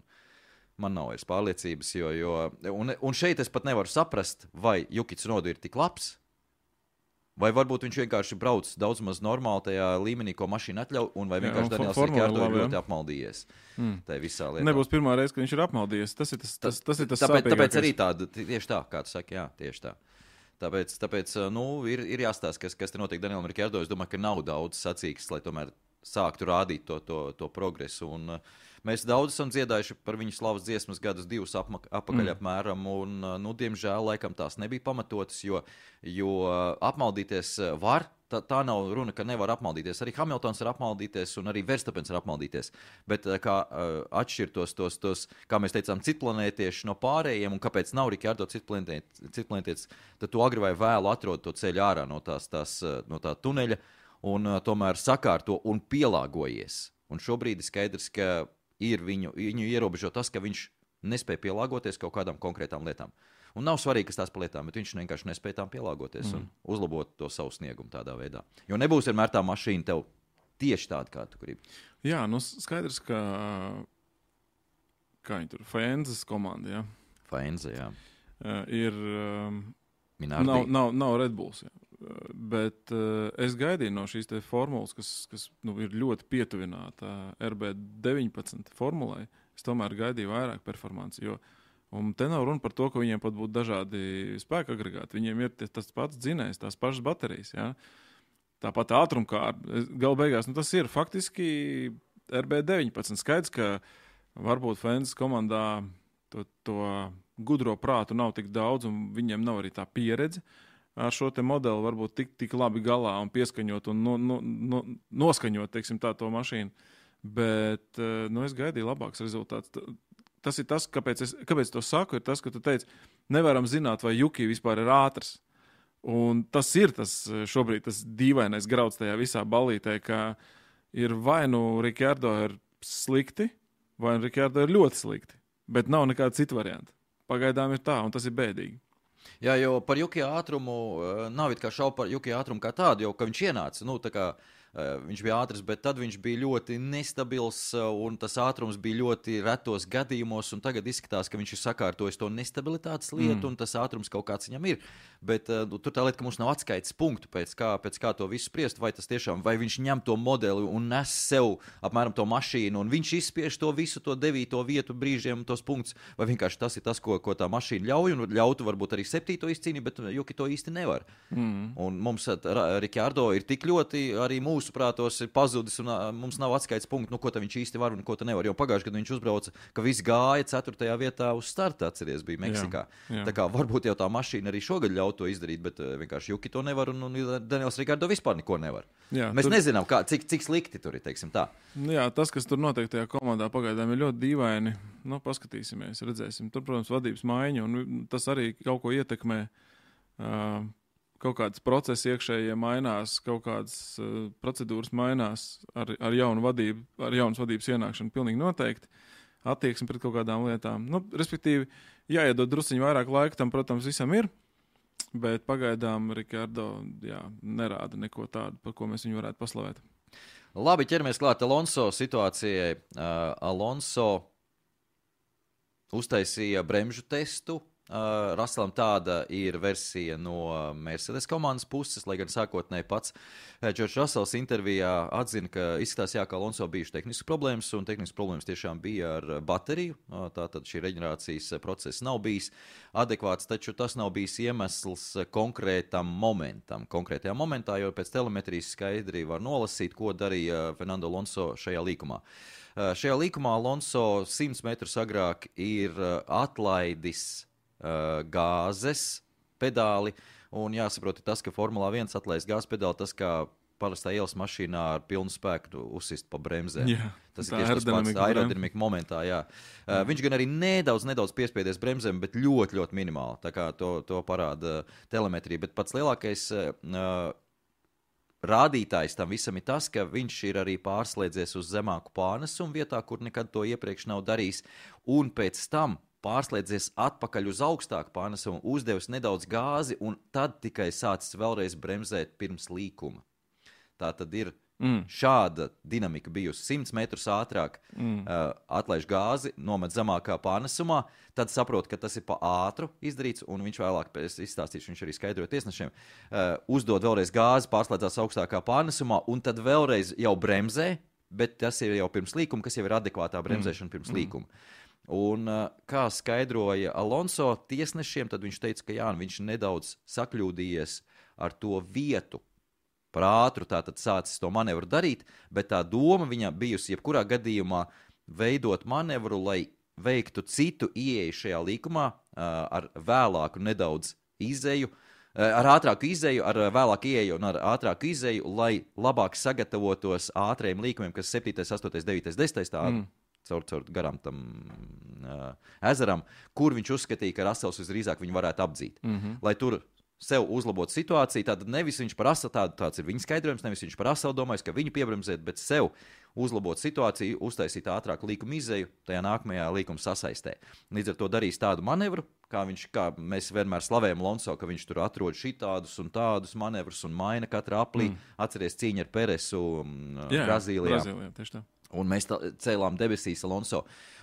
Man nav vairs pārliecības, jo, jo un, un šeit es pat nevaru saprast, vai Juki Tsunoda ir tik labs, vai varbūt viņš vienkārši brauc daudz maz normāli tajā līmenī, ko mašīna atļauj, un vai vienkārši Daniels Ricciardo ir ļoti apmaldījies. Mm. Tā ir visā lietā. Nebūs pirmā reize, ka viņš ir apmaldījies. Tas ir tas, tas, tas, ir tas tāpēc, tāpēc arī tāda, tieši tā, kā tu saki, jā, tieši tā. Tāpēc, tāpēc nu, ir, ir jāstāsta, kas, kas te notiek Danielam Ricciardo. Es domāju, ka nav daudz sacīks, lai tomēr sāktu rādīt to, to, to progresu. Un, uh, mēs daudz esam dziedājuši par viņu slavas dziesmas gadus divus apma, apakaļ mm. apmēram, un, uh, nu, diemžēl, laikam tās nebija pamatotas, jo, jo uh, apmaldīties var. Tā, tā nav runa, ka nevar apmaldīties. Arī Hamiltons var apmaldīties, un arī Verstappens var apmaldīties. Bet kā uh, atšķirt tos, tos, tos, kā mēs teicām, citplanētieši no pārējiem, un kāpēc nav Ricciardo citplanētietis, tad tu agri vai vēlu atrod to ceļu ārā no, tās, tās, no tā tuneļa, un uh, tomēr sakārto un pielāgojies. Un šobrīd ir skaidrs, ka ir viņu, viņu ierobežo tas, ka viņš nespēja pielāgoties kaut kādām konkrētām lietām. Un nav svarīgi, kas tās pa lietām, bet viņš vienkārši nespēja tām pielāgoties mm. un uzlabot to savu sniegumu tādā veidā. Jo nebūs vienmēr tā mašīna tev tieši tāda, kā tu gribi. Jā, nu skaidrs, ka kā viņi tur, Faenzes komanda, jā? Faenze, jā. Uh, ir, um, nav, nav, nav Red Bulls, jā. Uh, bet uh, es gaidīju no šīs te formulas, kas, kas nu, ir ļoti pietuvināta R B deviņpadsmit formulai, es tomēr gaidīju vairāk performanci, jo un te nav runa par to, ka viņiem pat būtu dažādi spēka agregāti. Viņiem ir tas pats dzinējs, tās pašas baterijas. Ja? Tāpat ātrumkāra. Galu beigās nu, tas ir faktiski R B deviņpadsmit. Skaidrs, ka varbūt Faenzes komandā to, to gudro prātu nav tik daudz, un viņiem nav arī tā pieredze ar šo te modeli varbūt tik, tik labi galā un pieskaņot un no, no, no, noskaņot, teiksim tā, to mašīnu. Bet nu, es gaidīju labāks rezultāts. Tas ir tas, kāpēc es, kāpēc to saku, ir tas, ka tu teici, nevaram zināt, vai Juki vispār ir ātrs. Un tas ir tas šobrīd tas dīvainais grauds tajā visā ballītē, ka ir vai nu Ricciardo ir slikti, vai nu Ricciardo ir ļoti slikti. Bet nav nekāda cita varianta. Pagaidām ir tā, un tas ir bēdīgi. Jā, jo par Juki ātrumu nav it kā šaubu par Juki ātrumu kā tādu, jo, ka viņš ienāca, nu, tā kā viņš bija ātrs, bet tad viņš bija ļoti nestabils un tas ātrums bija ļoti retos gadījumos, un tagad izskatās, ka viņš ir sakārtojis to nestabilitātes lietu, mm. un tas ātrums kaut kāds viņam ir. Bet uh, tur tā lieta, ka mums nav atskaites punktu pēc kā, pēc kā to visu spriest, vai tas tiešām, vai viņš ņem to modeli un nes sev apmēram to mašīnu, un viņš izspiež to visu, to devīto vietu brīžiem, tos punktus, vai vienkārši tas ir tas, ko, ko tā mašīna ļauj, un ļautu varbūt arī septīto izcīnīt, bet Juki to īsti nevar. Mm. Un mums Ricciardo ir tik ļoti arī mūsu mūsu prātos ir pazudis un uh, mums nav atskaites punktu, nu, ko viņš īsti var un ko nevar. Jo pagājušajā gadā viņš uzbrauca, ka viss gāja ceturtajā vietā uz starta, atceries, bija Meksikā. Jā, jā. Tā kā varbūt jau tā mašīna arī šogad ļauj to izdarīt, bet uh, vienkārši Juki to nevar un, un Daniels Ricciardo vispār neko nevar. Jā, Mēs tur... nezinām, kā, cik, cik slikti tur ir, teiksim tā. Jā, tas, kas tur notiek tajā komandā pagaidām ir ļoti dīvaini. Nu, paskatīsimies, redzēsim. Tur, protams, vadības maiņa un tas arī kaut ko ietekmē. uh, kaut kādas procesi iekšējie mainās, kaut kādas uh, procedūras mainās ar, ar jaunu vadību, ar jaunas vadības ienākšanu pilnīgi noteikti, attieksmi pret kaut kādām lietām. Nu, respektīvi, jāiedod drusciņu vairāk laika, tam, protams, visam ir, bet pagaidām Rikardo, jā, nerāda neko tādu, par ko mēs viņu varētu paslavēt. Labi, ķeramies klāt Alonso situācijai. Uh, Alonso uztaisīja bremžu testu. Uh, Russellam tāda ir versija no Mercedes komandas puses, lai gan sākotnēji pats Džordžs Russells intervijā atzina, ka izskatās, jā, ka Alonso bijuši tehniskas problēmas, un tehniskas problēmas tiešām bija ar bateriju. Uh, tātad šī reģenerācijas process nav bijis adekvāts, taču tas nav bijis iemesls konkrētam momentam. Konkrētajā momentā, jo pēc telemetrijas skaidri var nolasīt, ko darīja Fernando Alonso šajā līkumā. Uh, šajā līkumā Alonso simts metrus agrāk ir uh, atlaidis gāzes pedāli, un jāsaprot tas, ka Formulā viens atlaist gāzes pedāli, tas kā parastā ielas mašīnā ar pilnu spēku uzsist pa bremzēm. Jā, tas ir tieši tas pats aerodinamika momentā, jā. Uh, viņš gan arī nedaudz, nedaudz piespiedies bremzēm, bet ļoti, ļoti minimāli, tā kā to, to parāda telemetrija, bet pats lielākais uh, rādītājs tam visam ir tas, ka viņš ir arī pārslēdzies uz zemāku pārnesumu vietā, kur nekad to iepriekš nav darījis, un pēc tam pārslēdzies atpakaļ uz augstāku pārnesumu, uzdevis nedaudz gāzi un tad tikai sācis vēlreiz bremzēt pirms līkuma. Tā tad ir mm. šāda dinamika bijusi. simts metrus ātrāk mm. uh, atlaiž gāzi, nomet zemākā pārnesumā, tad saprot, ka tas ir pa ātru izdarīts, un viņš vēlāk, es izstāstīšu, viņš arī skaidroja tiesnešiem, uh, uzdod vēlreiz gāzi, pārslēdzās augstākā pārnesumā, un tad vēlreiz jau bremzē, bet tas ir jau pirms līkuma, kas jau ir adekvātā bremzēšana mm. pirms līkuma. Un, kā skaidroja Alonso tiesnešiem, tad viņš teica, ka jā, viņš nedaudz sakļūdījies ar to vietu. Par ātru tātad sācis to manevru darīt, bet tā doma viņam bijusi jebkurā gadījumā veidot manevru, lai veiktu citu ieeju šajā līkumā ar vēlāku nedaudz izēju, ar ātrāku izēju, ar vēlāku ieeju un ar ātrāku izēju, lai labāk sagatavotos ātriem līkumiem, kas septītais, astotais, devītais, desmitais tādu. Mm. Caur, caur garām tam uh, ezeram, kur viņš uzskatīja, ka Russells visdrīzāk viņu varētu apdzīt. Mm-hmm. Lai tur sev uzlabotu situāciju, tad nevis viņš par Russellu, tā, tāds ir viņa skaidrojums, nevis viņš par Russellu domājis, ka viņu piebremzēt, bet sev uzlabot situāciju, uztaisīt ātrāku līkumu izēju, tajā nākamajā līkuma sasaistē. Līdz ar to darīs tādu manevru, kā, viņš, kā mēs vienmēr slavējam Alonso, ka viņš tur atrod šitādus un tādus manevrus un maina katrā aplī. Mm. Atceries cīņu ar Peresu Jā, Brazīlijā. Brazīlijā, tieši tā. Un mēs tā, cēlām debesīs Alonso,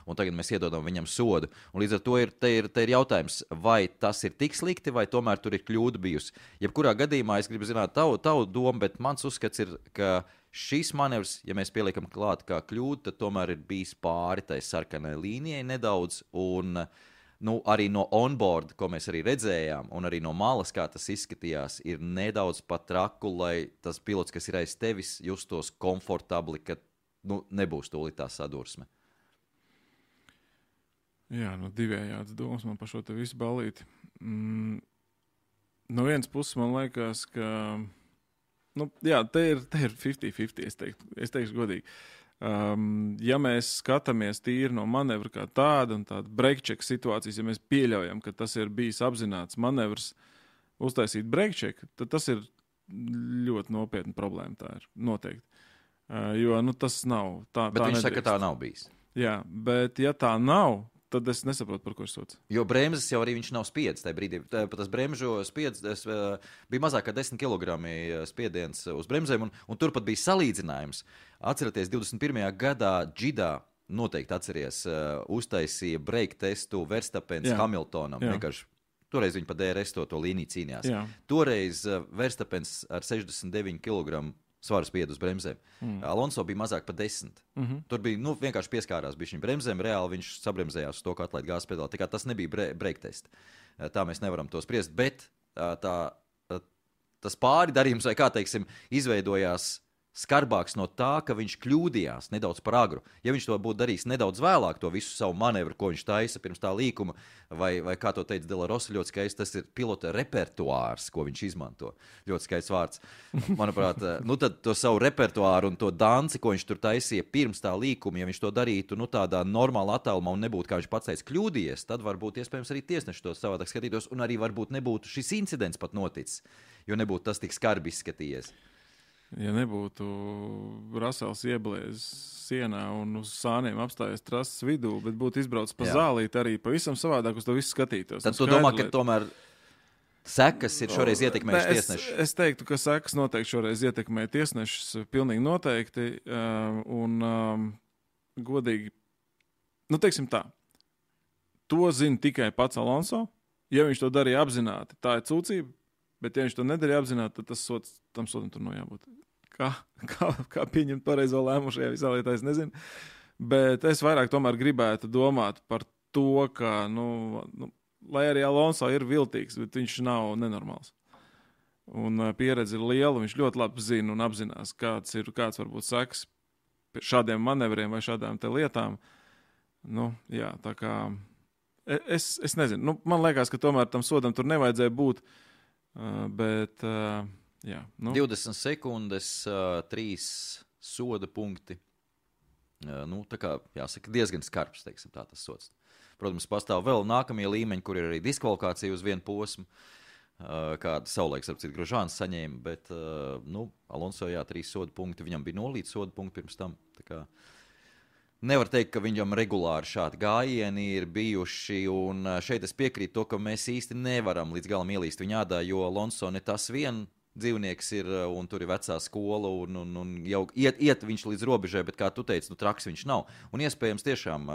un tagad mēs iedodam viņam sodu. Un līdz ar to ir, te ir, te ir jautājums, vai tas ir tik slikti, vai tomēr tur ir kļūda bijusi. Jebkurā gadījumā es gribu zināt tavu, tavu domu, bet mans uzskats ir, ka šis manevrs, ja mēs pieliekam klāt kā kļūdu, tad tomēr ir bijis pāri tai sarkanai līnijai nedaudz, un nu, arī no onboard, ko mēs arī redzējām, un arī no malas, kā tas izskatījās, ir nedaudz pat traku, lai tas pilots, kas ir aiz tevis, justos komfortabli, ka nu, nebūs tūlīt tā sadursme. Jā, nu divējāds domas man par šo te visu balīti. Mm, no vienas puses man liekas, ka nu, jā, te ir, te ir fifty fifty, es teiktu, es teikšu godīgi. Um, ja mēs skatāmies tīri no manevra kā tāda un tāda break check situācijas, ja mēs pieļaujam, ka tas ir bijis apzināts manevrs uztaisīt break check, tad tas ir ļoti nopietna problēma, tā ir noteikti. Uh, jo, nu, tas nav. Tā, bet tā viņš nedrīkst. saka, ka tā nav bijis. Jā, bet ja tā nav, tad es nesaprotu, par ko ir sots. Jo bremzes jau arī viņš nav spiedis tajā brīdī. Pat tas bremžu spiedis bija mazāk kā desmit kilogrami spiediens uz bremzēm, un, un tur pat bija salīdzinājums. Atcerieties, divdesmit pirmajā gadā Džidā, noteikti atceries, uztaisīja break testu Verstappens Jā. Hamiltonam. Vienkārši toreiz viņi pa D R S to, to līniju cīnījās. Jā. Toreiz Verstappens ar sešdesmit deviņu kilogramu svaru spied uz bremzēm. Mm. Alonso bija mazāk par desmit. Mm-hmm. Tur bija, nu, vienkārši pieskārās bija viņa bremzēm, reāli viņš sabremzējās uz to, ka atlaid gāzes pedāli. Tā kā tas nebija bre- break test. Tā mēs nevaram to spriest, bet tā, tas pāri darījums, vai kā teiksim, izveidojās skarbāks no tā, ka viņš kļūdījās nedaudz par agru. Ja viņš to būtu darījis nedaudz vēlāk, to visu savu manevru, ko viņš taisa pirms tā līkuma, vai, vai kā to teica Dela Rosa, ļoti skaisti, tas ir pilota repertuārs, ko viņš izmanto. Ļoti skaists vārds. Manuprāt, nu tad to savu repertuāru un to danci, ko viņš tur taisīja pirms tā līkuma, ja viņš to darītu nu, tādā normāla attālumā un nebūtu, kā viņš pats teica, kļūdījies, tad varbūt iespējams arī tiesneši to savādāk skatītos, un arī varbūt nebūtu šis incidents pat noticis, jo nebūtu tas tik skarbi izskatījies. Ja nebūtu Rasels iebliezis sienā un uz sāniem apstājies trases vidū, bet būtu izbraucis pa Jā. Zālīti arī pavisam savādāk uz to visu skatītos. Tad tu domā, ka tomēr sekas ir šoreiz ietekmējuši tiesneši? Es, es teiktu, ka sekas noteikti šoreiz ietekmē tiesnešus, pilnīgi noteikti, un um, godīgi, nu teiksim tā, to zina tikai pats Alonso, ja viņš to darīja apzināti, tā ir cūcība. Bet, ja viņš to nedarīja apzināti, tad tas sots, tam sotam tur nav jābūt. Kā, kā, kā pieņemt pareizo lēmumu šajā visā lietā, es nezinu. Bet es vairāk tomēr gribētu domāt par to, ka, nu, nu lai arī Alonso ir viltīgs, bet viņš nav nenormāls. Un pieredze ir liela, viņš ļoti labi zina un apzinās, kāds ir, kāds varbūt seks šādiem manevriem vai šādām te lietām. Nu, jā, tā kā, es, es nezinu, nu, man liekas, ka tomēr tam sodam tur nevajadzēja būt. Uh, bet, uh, jā, nu. divdesmit sekundes, uh, trīs soda punkti. Uh, nu, tā kā, jāsaka, diezgan skarbs, teiksim, tā tas sods. Protams, pastāv vēl nākamie līmeņi, kur ir arī diskvalifikācija uz vienu posmu, uh, kāda savulaiks, ar citu Grožāns saņēma, bet, uh, nu, Alonso, jā, trīs soda punkti, viņam bija nulīt soda punkti pirms tam, tā kā. Nevar teikt, ka viņam regulāri šādi gājieni ir bijuši, un šeit es piekrītu to, ka mēs īsti nevaram līdz galam ielīst viņa ādā, jo Alonso ne tas vien dzīvnieks ir, un tur ir vecā skola, un, un, un jau iet, iet viņš līdz robežai, bet kā tu teici, nu traks viņš nav. Un iespējams tiešām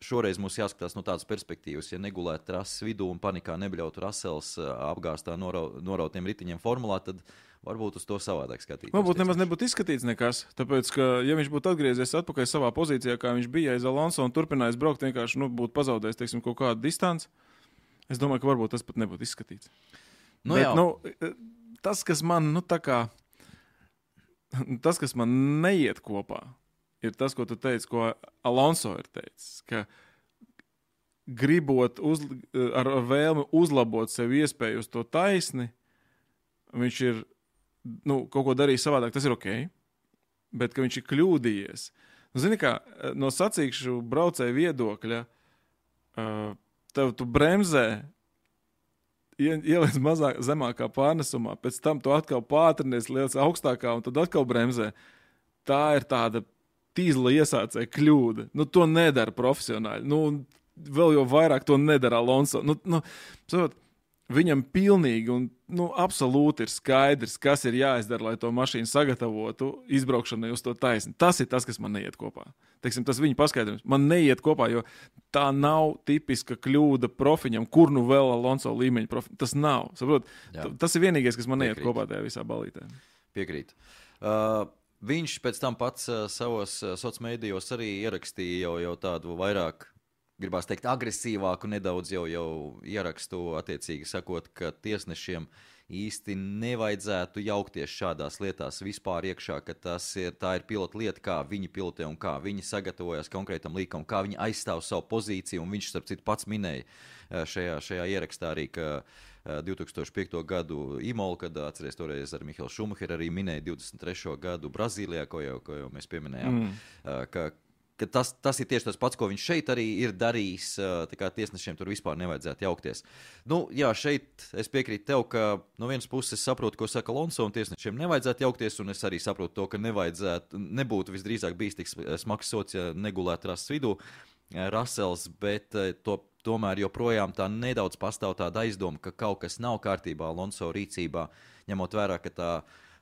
šoreiz mums jāskatās no tādas perspektīvas, ja negulētu trases vidū un panikā nebļautu Rasels apgāstā norau, norautiem ritiņiem formulā, tad varbūt uz to savādāk skatīties. Varbūt nemaz nebūtu izskatīts nekas, tāpēc, ka, ja viņš būtu atgriezies atpakaļ savā pozīcijā, kā viņš bija aiz Alonso un turpinājis braukt, vienkārši, nu, būtu pazaudējis, teiksim, kaut kādu distanci, es domāju, ka varbūt tas pat nebūtu izskatīts. Nu, Bet, nu, tas, kas man, nu, tā kā, tas, kas man neiet kopā, ir tas, ko tu teici, ko Alonso ir teicis, ka gribot uz, ar, ar vēlmi uzlabot sev iespēju uz to taisni, viņš ir nu, kaut ko darījis savādāk, tas ir ok, bet ka viņš ir kļūdījies. Nu, zini kā, no sacīkšu braucēju viedokļa, uh, tev tu bremzē, ieliec mazāk, zemākā pārnesumā, pēc tam tu atkal pātrinies, liec augstākā un tad atkal bremzē. Tā ir tāda tīzla iesācēja kļūda. Nu, to nedara profesionāļi. Nu, vēl jau vairāk to nedara Alonso. Nu, nu, saprot, viņam pilnīgi un nu, absolūti ir skaidrs, kas ir jāizdara, lai to mašīnu sagatavotu izbraukšanai uz to taisni. Tas ir tas, kas man neiet kopā. Teiksim, tas viņa paskaidrojums. Man neiet kopā, jo tā nav tipiska kļūda profiņam, kur nu vēl Alonso līmeņa profiņam. Tas nav. Saprot, tas ir vienīgais, kas man neiet Piekrīt. Kopā tajā visā balītē. Piekrīt. Uh, viņš pēc tam pats uh, savos uh, sociālmedijos arī ierakstīja jau, jau tādu vairāk gribās teikt, agresīvāku nedaudz jau, jau ierakstu attiecīgi sakot, ka tiesnešiem īsti nevajadzētu jaukties šādās lietās vispār iekšā, ka tas ir, tā ir pilota lieta, kā viņi pilotē un kā viņi sagatavojas konkrētam līkumam, kā viņi aizstāv savu pozīciju, un viņš, starp citu, pats minēja šajā, šajā ierakstā arī, ka divi tūkstoši piekto gadu Imolu, kad atceries toreiz ar Mihaelu Šumacheru arī minēja divdesmit trešo gadu Brazīlijā, ko jau, ko jau mēs pieminējām, mm. ka ka tas, tas ir tieši tas pats, ko viņš šeit arī ir darījis, tā kā tiesnešiem tur vispār nevajadzētu jaukties. Nu, jā, šeit es piekrītu tev, ka no vienas puses es saprotu, ko saka Alonso, un tiesnešiem nevajadzētu jaukties, un es arī saprotu to, ka nevajadzētu, nebūtu visdrīzāk bijis tik smags sots, ja negulētu rases vidū Rasels, bet to, tomēr joprojām tā nedaudz pastāv tāda aizdoma, ka kaut kas nav kārtībā Alonso rīcībā, ņemot vērā, ka tā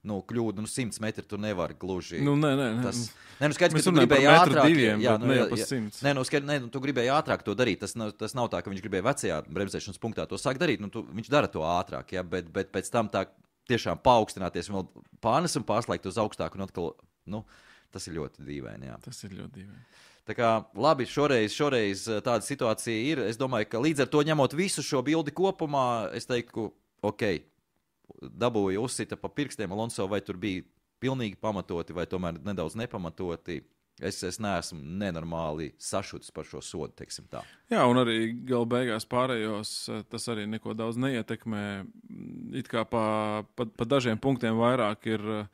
nu, kļūda, nu, simts metri tu nevar gluži. Nu, nē, nē, nē. Tas, nē, nu, skaidrs, ka tu gribēji ātrāk. Diviem, jā, nu, ne jau pa simts. Nē, nu, skaidrs, nē, nu, tu gribēji ātrāk to darīt. Tas nav, tas nav tā, ka viņš gribēja vecajā bremzēšanas punktā to sāk darīt. Nu, tu, viņš dara to ātrāk, jā, bet, bet pēc tam tā tiešām paaugstināties un vēl pārnes un pārslēgt uz augstāku un atkal, nu, tas ir ļoti dīvaini, jā. Tas ir ļoti dīvaini. Tā kā, labi, šoreiz, šoreiz tāda situācija ir. Es domāju, ka līdz ar to ņemot visu šo bildi kopumā, es teiktu, ok, dabūja uzsita pa pirkstiem Alonso, vai tur bija pilnīgi pamatoti vai tomēr nedaudz nepamatoti. Es, es neesmu nenormāli sašutis par šo sodu, teiksim tā. Jā, un arī gala beigās pārējos tas arī neko daudz neietekmē. It kā pa, pa, pa dažiem punktiem vairāk ir uh,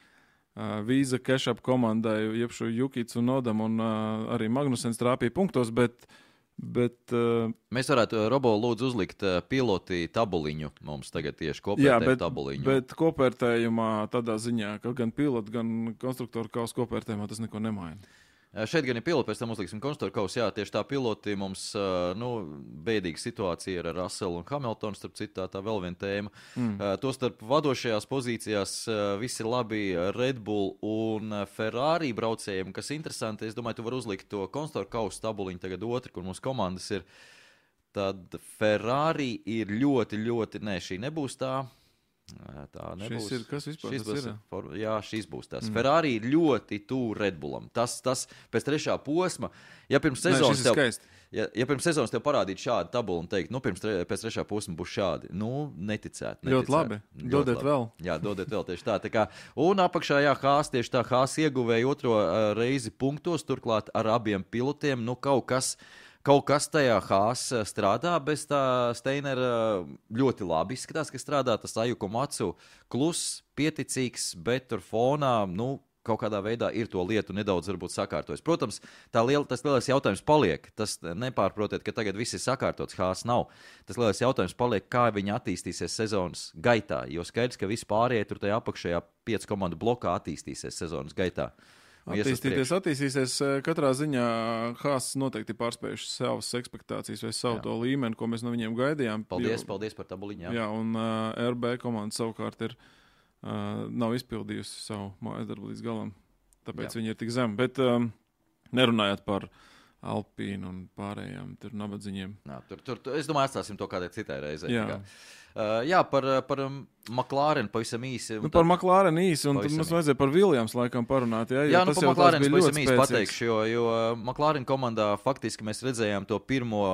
Vīza Kešap komandai, jebšu Jukits un Nodam, un uh, arī Magnusens trāpīja punktos, bet Bet, uh, Mēs varētu, Robo, lūdzu uzlikt uh, piloti tabuliņu mums tagad tieši kopērtējumu tabuliņu. Bet kopērtējumā tādā ziņā, ka gan piloti, gan konstruktoru kaus kopērtējumā tas neko nemaina. Šeit gan ir piloti, pēc tam uzliksim konstruktoru kaus. Jā, tieši tā piloti mums, nu, bēdīga situācija ir ar Russelu un Hamiltonu, starp citu tā, tā vēl viena tēma. Mm. To starp vadošajās pozīcijās visi labi Red Bull un Ferrari braucējiem, kas interesanti. Es domāju, tu vari uzlikt to konstruktoru kaus tabuliņu tagad otru, kur mūsu komandas ir. Tad Ferrari ir ļoti, ļoti, nē, šī nebūs tā. Tā nebūs. Šis ir, kas vispār šis tas būs, ir? For, jā, šis būs tas. Mm. Ferrari ir ļoti tuvu Red Bullam. Tas, tas pēc trešā posma, ja pirms sezonas, Nē, tev, ja, ja pirms sezonas tev parādītu šādu tabulu un teikt, nu, pirms tre, pēc trešā posma būs šādi, nu, neticēt. neticēt. Ļoti labi. Ļoti dodiet labi. vēl. Jā, dodiet vēl tieši tā. tā kā, un apakšā, jā, Haas, tieši tā, Haas ieguvēja otro uh, reizi punktos, turklāt ar abiem pilotiem, nu, kaut kas... Kaut kas tajā Haas strādā, bez tā Steinera ļoti labi izskatās, ka strādā tas Ayuko Matsu klus, pieticīgs, bet tur fonā, nu, kaut kādā veidā ir to lietu nedaudz varbūt sakārtojis. Protams, tā liela, tas lielais jautājums paliek. Tas nepārprotiet, ka tagad viss ir sakārtots, Haas nav. Tas lielais jautājums paliek, kā viņi attīstīsies sezonas gaitā, jo skaidrs, ka visi pārējie tur tajā apakšējā piecu komandu blokā attīstīsies sezonas gaitā. Attīstīties, attīstīsies. Katrā ziņā Haas noteikti pārspējuši savas ekspektācijas vai savu jā. To līmeni, ko mēs no viņiem gaidījām. Paldies, jo, paldies par tabuliņu. Jā, jā un uh, R B komanda savukārt ir, uh, nav izpildījusi savu mājas darbu līdz galam. Tāpēc jā. Viņi ir tik zemi. Bet um, nerunājot par Alpīnu un pārējām tur nabadziņiem. Jā, tur, tur, tur, es domāju, atstāsim to kādai citai reizei. Jā. Uh, jā, par, par um, McLaren pavisam īsi. Nu, par McLaren īsi, un tad mums vajadzēja par Williams laikam parunāt. Jā, jā nu, par McLaren pavisam īsi pateikšu, jo, jo McLaren komandā faktiski mēs redzējām to pirmo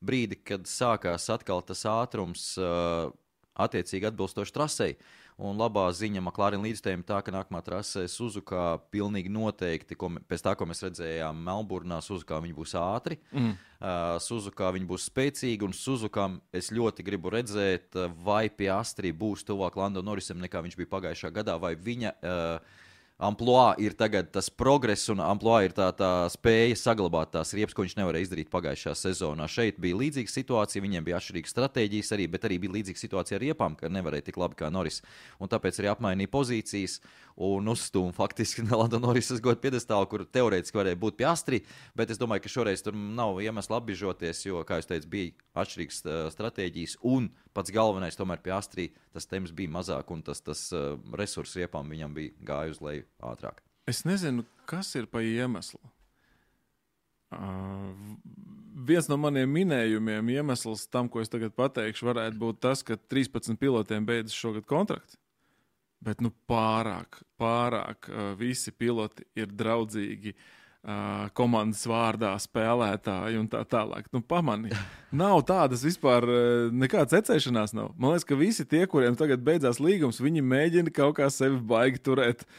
brīdi, kad sākās atkal tas ātrums uh, attiecīgi atbilstoši trasei. Un labā ziņa McLaren līdzstājiem tā, ka nākamā trasē Suzuka pilnīgi noteikti, ko, pēc tā, ko mēs redzējām Melburnā, Suzuka viņi būs ātri, mm. uh, Suzuka viņi būs spēcīgi, un Suzuka es ļoti gribu redzēt, vai Piastri būs tuvāk Lando Norrisam, nekā viņš bija pagājušā gadā, vai viņa uh, amploā ir tagad tas progress, un amploā ir tā, tā spēja saglabāt tās riepas, ko viņš nevarēja izdarīt pagājušā sezonā. Šeit bija līdzīga situācija, viņiem bija atšķirīgas stratēģijas arī, bet arī bija līdzīga situācija ar riepām, ka nevarēja tik labi kā Norris. Un tāpēc arī apmainīja pozīcijas un uzstūma faktiski Lando Norrisas godu piedestālu, kur teorētiski varēja būt Piastri, bet es domāju, ka šoreiz tur nav iemesla apbižoties, jo, kā jūs teicu, bija atšķirīgas stratēģijas, un pats galvenais tomēr Piastri, tas temps bija mazāk, un tas, tas uh, resursu riepām viņam bija gāja uz leju ātrāk. Es nezinu, kas ir pa iemeslu. Uh, viens no maniem minējumiem iemesls tam, ko es tagad pateikšu, varētu būt tas, ka trīspadsmit pilotiem beidzas šogad kontrakti. Bet nu pārāk, pārāk uh, visi piloti ir draudzīgi uh, komandas vārdā spēlētāji un tā tālāk. Nu pamani, nav tādas vispār uh, nekādas ecēšanās nav. Man liekas, ka visi tie, kuriem tagad beidzās līgums, viņi mēģina kaut kā sevi baigi turēt.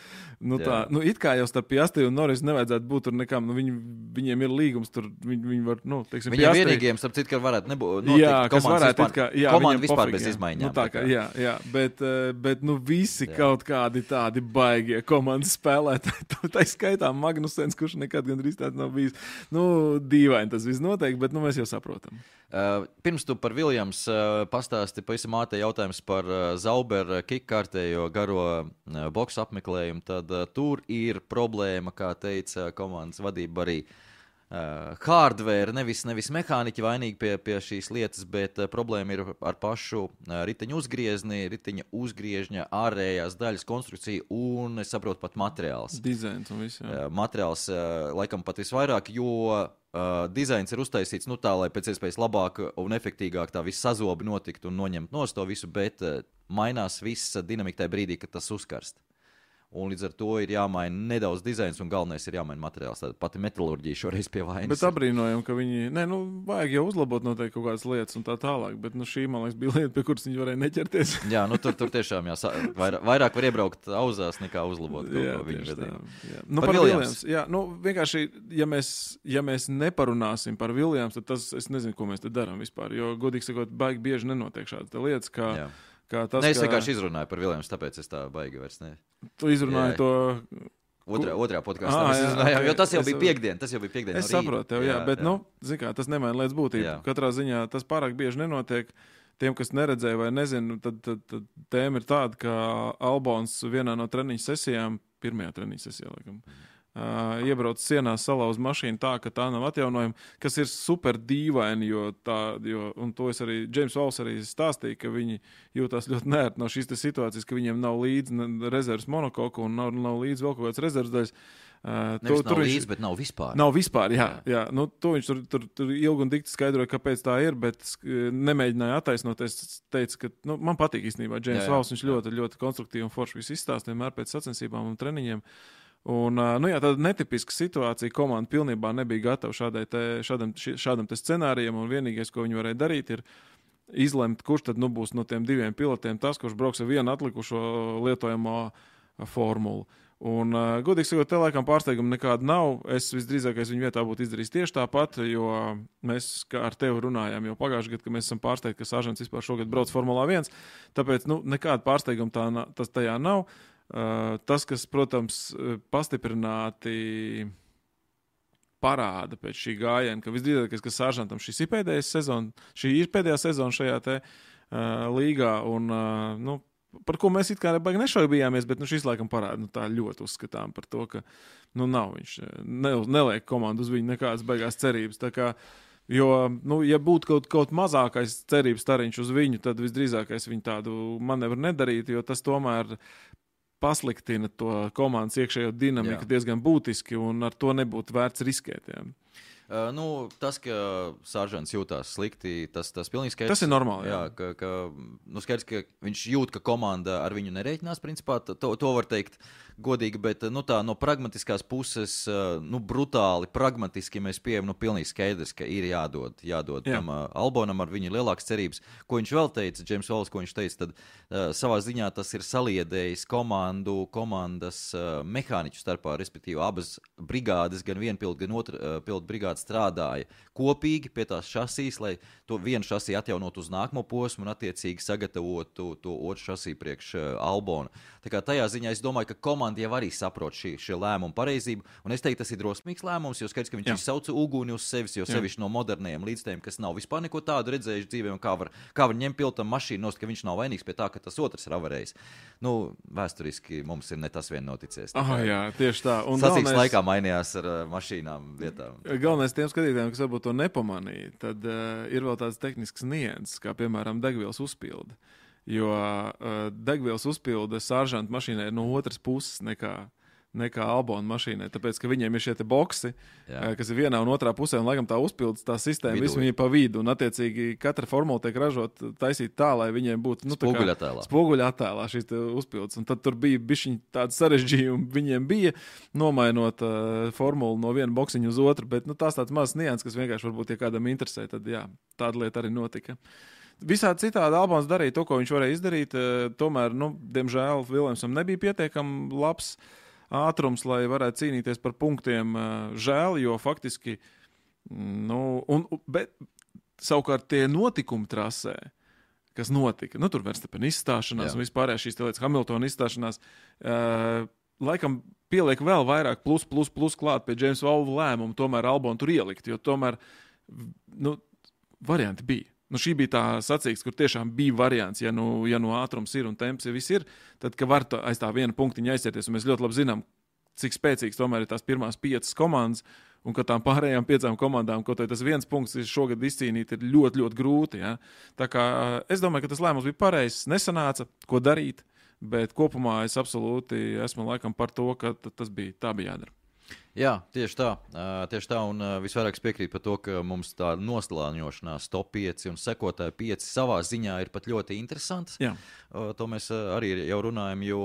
Nu, tā, nu, it kā jau starp Piastri un Norris nevajadzētu būt tur nekam, nu, viņi, viņiem ir līgums tur, viņi, viņi var, nu, teiksim, viņiem Piastri... vienīgiem, starp citu, ka varētu nebūt, notikt, jā, kas varētu, vispār, kā, jā, komanda vispār pofīgi, bez jā. izmaiņām. Nu, tā kā, jā, jā, bet, bet, nu, visi jā. Kaut kādi tādi baigie komandas spēlētāji, tā skaitā Magnusens, kurš nekad gandrīz tāds nav bijis, nu, dīvaini tas viss noteikti, bet, nu, mēs jau saprotam. Uh, pirms tu par Williams uh, pastāsti pavisam ātri jautājums par uh, Zauber kickkārtējo garo uh, boksu apmeklējumu, tad uh, tur ir problēma, kā teica komandas vadība arī uh, hardware, nevis, nevis mehāniķi vainīgi pie, pie šīs lietas, bet uh, problēma ir ar pašu uh, riteņu uzgriezni, riteņa uzgriežņa ārējās daļas konstrukcija un, es saprotu, pat materiāls. Dizains un viss, jā. Uh, materiāls uh, laikam pat visvairāk, jo Uh, dizains ir uztaisīts nu tā, lai pēc iespējas labāk un efektīgāk tā viss sazobi notikt un noņemt nost to visu, bet uh, mainās viss dinamika tajā brīdī, kad tas uzkarst. Un līdz ar to ir jāmaina nedaudz dizains, un galvenais ir jāmaina materiāls. Tātad pati metalurģija šoreiz pie vainas. Bet abrīnojam, ka viņi, ne, nu, vajag jau uzlabot noteikti kaut kādas lietas un tā tālāk, bet, nu, šī, man liekas, bija lieta, pie kuras viņi varēja neķerties. Jā, nu, tur, tur tiešām, jā, vairāk, vairāk var iebraukt auzās, nekā uzlabot kaut jā, ko viņu gadījumā. Nu, par, par Williams. Jā, nu, vienkārši, ja mēs, ja mēs neparunāsim par Williams, tad tas, es nezinu, ko mēs te darām vispār, jo, godīgi sakot, baigi bieži nenotiek šādas lietas, kā... Jā. Tas, ne, es kā... vienkārši izrunāju par Williams, tāpēc es tā baigi vairs ne. Tu izrunāji jā, to... Otrā, otrā podkāstā mēs izrunājām, okay. jo tas jau es... bija piekdien, tas jau bija piekdien Es no saprotu tev, jā, jā bet, jā. nu, zin kā, tas nemaina lietas būtību. Jā. Katrā ziņā tas pārāk bieži nenotiek. Tiem, kas neredzēja vai nezinu, tad, tad, tad tēma ir tāda, ka Albons vienā no treniņu sesijām, pirmajā treniņu sesijā, laikam, Uh, iebrauc sienās, salauz mašīnu tā, ka tā nav atjaunojama, kas ir super dīvaini, jo tā, jo, un to es arī, James Walls arī stāstīja, ka viņi jūtās ļoti nērti no šīs situācijas, ka viņiem nav līdzi rezervas monokoku un nav, nav līdzi vēl kaut kāds rezervas daļas. Uh, Nevis to, nav tur līdzi, viņš, bet nav vispār. Nav vispār, jā. jā. jā. Nu, to viņš tur, tur, tur ilgi un dikti skaidroja, kāpēc tā ir, bet nemēģināja attaisnoties. Teica, ka nu, man patīk īstenībā James Walls, viņš ļoti, ļoti konstruktīvi un forši visu izstāstīja vienmēr pēc sacensībām un treniņiem. Un, nu jā, tāda netipiska situācija, komanda pilnībā nebija gatava šādai te, šādam, šādam te scenārijam, un vienīgais, ko viņi varēja darīt, ir izlemt, kurš tad nu būs no tiem diviem pilotiem tas, kurš brauks ar vienu atlikušo lietojamo formulu. Un, godīgi sakot, te laikam pārsteigumu nekāda nav. Es visdrīzākais viņu vietā būtu izdarījis tieši tāpat, jo mēs kā ar tevi runājām jau pagājušajā gadā, ka mēs esam pārsteigti, ka Sāžants vispār šogad brauc Formulā viens, tāpēc nu, nekāda pārsteiguma tā, tas tajā nav. Uh, tas, kas, protams, pastiprināti parāda pēc šī gājiena, ka visdrīzākais, ka Sāržantam šis ir pēdējais sezona, šī ir pēdējā sezona šajā te uh, līgā, un, uh, nu, par ko mēs it kā baigi nešaubījāmies, bet nu, šis laikam parāda, nu, tā ļoti uzskatām par to, ka, nu, nav viņš, ne, neliek komandu uz viņu nekādas baigās cerības, tā kā, jo, nu, ja būtu kaut, kaut mazākais cerības stariņš uz viņu, tad visdrīzākais viņu tādu manevru nedarīt, jo tas tomēr pasliktina to komandas iekšējo dinamiku jā. diezgan būtiski, un ar to nebūtu vērts riskēt. Jā. Uh, nu, tas, ka Sāržants jūtās slikti, tas, tas pilnīgi skaidrs. Tas ir normāli. Jā, jā ka, ka, nu, skaidrs, ka viņš jūt, ka komanda ar viņu nereiķinās, principā, to, to var teikt godīgi, bet nu, tā no pragmatiskās puses, nu, brutāli, pragmatiski mēs pieejam, nu, pilnīgi skaidrs, ka ir jādod, jādod jā. tam uh, Albonam ar viņu lielākas cerības. Ko viņš vēl teica, James Walls, ko viņš teica, tad uh, savā ziņā tas ir saliedējis komandu, komandas uh, mehāniķu starpā, respektīvi abas brigādes, gan viena pilota, gan otra uh, pilota brigāde strādāja kopīgi pie tās šasīs, lai to vienu šasī atjaunot uz nākamo posmu un attiecīgi sagatavotu to otru šasī priekš uh, Albona. Tā kā tajā ziņā es domāju, ka komanda jau arī saprot šī, šī lēmuma pareizību, un es teiktu, tas ir drosmīgs lēmums, jo skaidrs, ka viņš izsauca uguni uz sevis, jo sevišķi no modernajiem līdzstājiem, kas nav vispār neko tādu redzējuši dzīvē, un kā var, kā var ņemt pilotam mašīnu nost, ka viņš nav vainīgs pie tā, ka tas otrs ir avarējis. Nu, vēsturiski mums ir ne tas vien noticies. Ah, jā, tieši tā. Un sacīks galvenais... laikā mainījās ar uh, mašīnām vietām. Galvenais tiem skatītājiem, kas varbūt to nepamanīja, tad uh, ir vēl tāds tehnisks nianses, kā piemēram degvielas uzpilde. Jo uh, degvielas uzpilde Sāržanta mašīnai ir no otras puses nekā, nekā Albona mašīnai, tāpēc, ka viņiem ir šie te boksi, uh, kas ir vienā un otrā pusē, un laikam tā uzpildes, tā sistēma, visu viņi pa vidu, un attiecīgi katra formula tiek ražot, taisīt tā, lai viņiem būtu, nu, spoguļattēlā. Spoguļattēlā šīs te uzpildes, un tad tur bija bišķiņ tāda sarežģījuma, viņiem bija nomainot uh, formulu no viena boksiņa uz otru, bet, nu, tās tāds mazs nians, kas vienkārši varbūt, ja kādam interesē, tad, jā, tāda lieta arī notika. Visādi citādi Albons darīja to, ko viņš varēja izdarīt, tomēr, nu, diemžēl Williamsam nebija pietiekami labs ātrums, lai varētu cīnīties par punktiem. Žēl, jo faktiski, nu, un, bet savukārt tie notikumi trasē, kas notika, nu, tur Verstappen izstāšanās Jā. un vispārējās šīs lietas Hamiltona izstāšanās, uh, laikam pieliek vēl vairāk plus, plus, plus klāt pie James Walls lēmumu, tomēr Albonu tur ielikt, jo tomēr, nu, varianti bija. Nu, šī bija tā sacīks, kur tiešām bija variants, ja nu, ja nu ātrums ir un temps ja viss ir, tad, ka var tā, aiz tā viena punktiņa aizsieties, un mēs ļoti labi zinām, cik spēcīgs tomēr ir tās pirmās piecas komandas, un ka tām pārējām piecām komandām, kaut vai tas viens punkts ir šogad izcīnīt, ir ļoti, ļoti grūti. Ja? Tā kā es domāju, ka tas lēmums bija pareizs, nesanāca, ko darīt, bet kopumā es absolūti esmu laikam par to, ka tas bija, tā bija jādara. Jā, tieši tā. Tieši tā, un visvairāk piekrīt par to, ka mums tā noslāņošanās top pieci un sekotāji pieci savā ziņā ir pat ļoti interesants. Jā. To mēs arī jau runājam, jo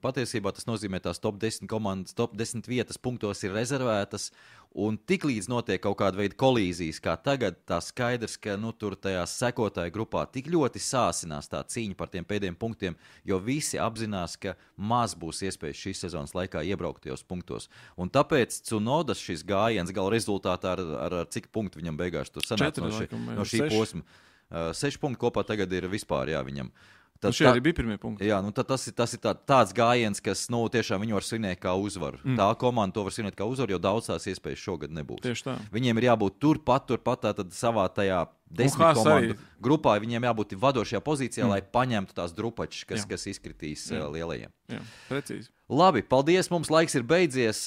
patiesībā tas nozīmē tās top desmit komandas, top desmit vietas punktos ir rezervētas, un tiklīdz notiek kaut kāda veida kolīzijas, kā tagad, tā skaidrs, ka nu, tur tajā sekotāju grupā tik ļoti sāsinās tā cīņa par tiem pēdējiem punktiem, jo visi apzinās, ka maz būs iespējas šīs sezonas laikā iebraukt tajos punktos. Un tāpēc Tsunodas šis gājiens gala rezultātā ar, ar, ar cik punktu viņam beigās tur sanāca no, ši, no šī seši. posma. Uh, seši punkti kopā tagad ir vispār, jā, viņam. Tad, šie arī bija pirmie punkti. Jā, nu tad tas ir, tas ir tā, tāds gājiens, kas, nu, tiešām viņu var svinēt kā uzvaru. Mm. Tā komanda to var svinēt kā uzvaru, jo daudz tās iespējas šogad nebūs. Tieši tā. Viņiem ir jābūt turpat, turpat tātad savā tajā desmit komandu arī. grupā, viņiem jābūt vadošajā pozīcijā, mm. lai paņemtu tās drupačas, kas, kas izkritīs Jā. lielajiem. Jā, precīzi. Labi, paldies, mums laiks ir beidzies.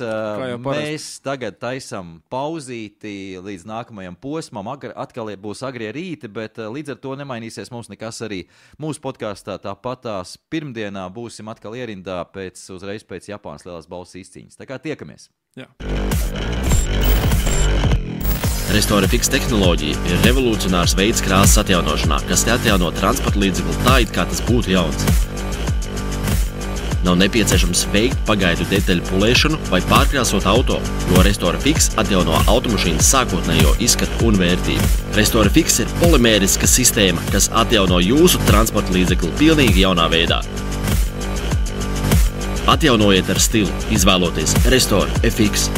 Mēs tagad taisam pauzīti līdz nākamajam posmam. Agri, atkal būs agrie rīti, bet līdz ar to nemainīsies mums nekas arī mūsu podkāstā. Tāpatās pirmdienā būsim atkal ierindā pēc, uzreiz pēc Japānas lielās balvas izcīņas. Tā kā tiekamies. Jā. Restore Fix tehnoloģija ir revolucionārs veids krāsas atjaunošanā, kas atjauno transporta līdzekli tā, it kā tas būtu jauns. Nav nepieciešams veikt pagaidu detaļu pulēšanu vai pārkrāsot auto, jo Restore Fix atjauno automašīnas sākotnējo izskatu un vērtību. Restore Fix ir polimēriska sistēma, kas atjauno jūsu transporta līdzekli pilnīgi jaunā veidā. Atjaunojiet ar stilu, izvēloties Restore F X.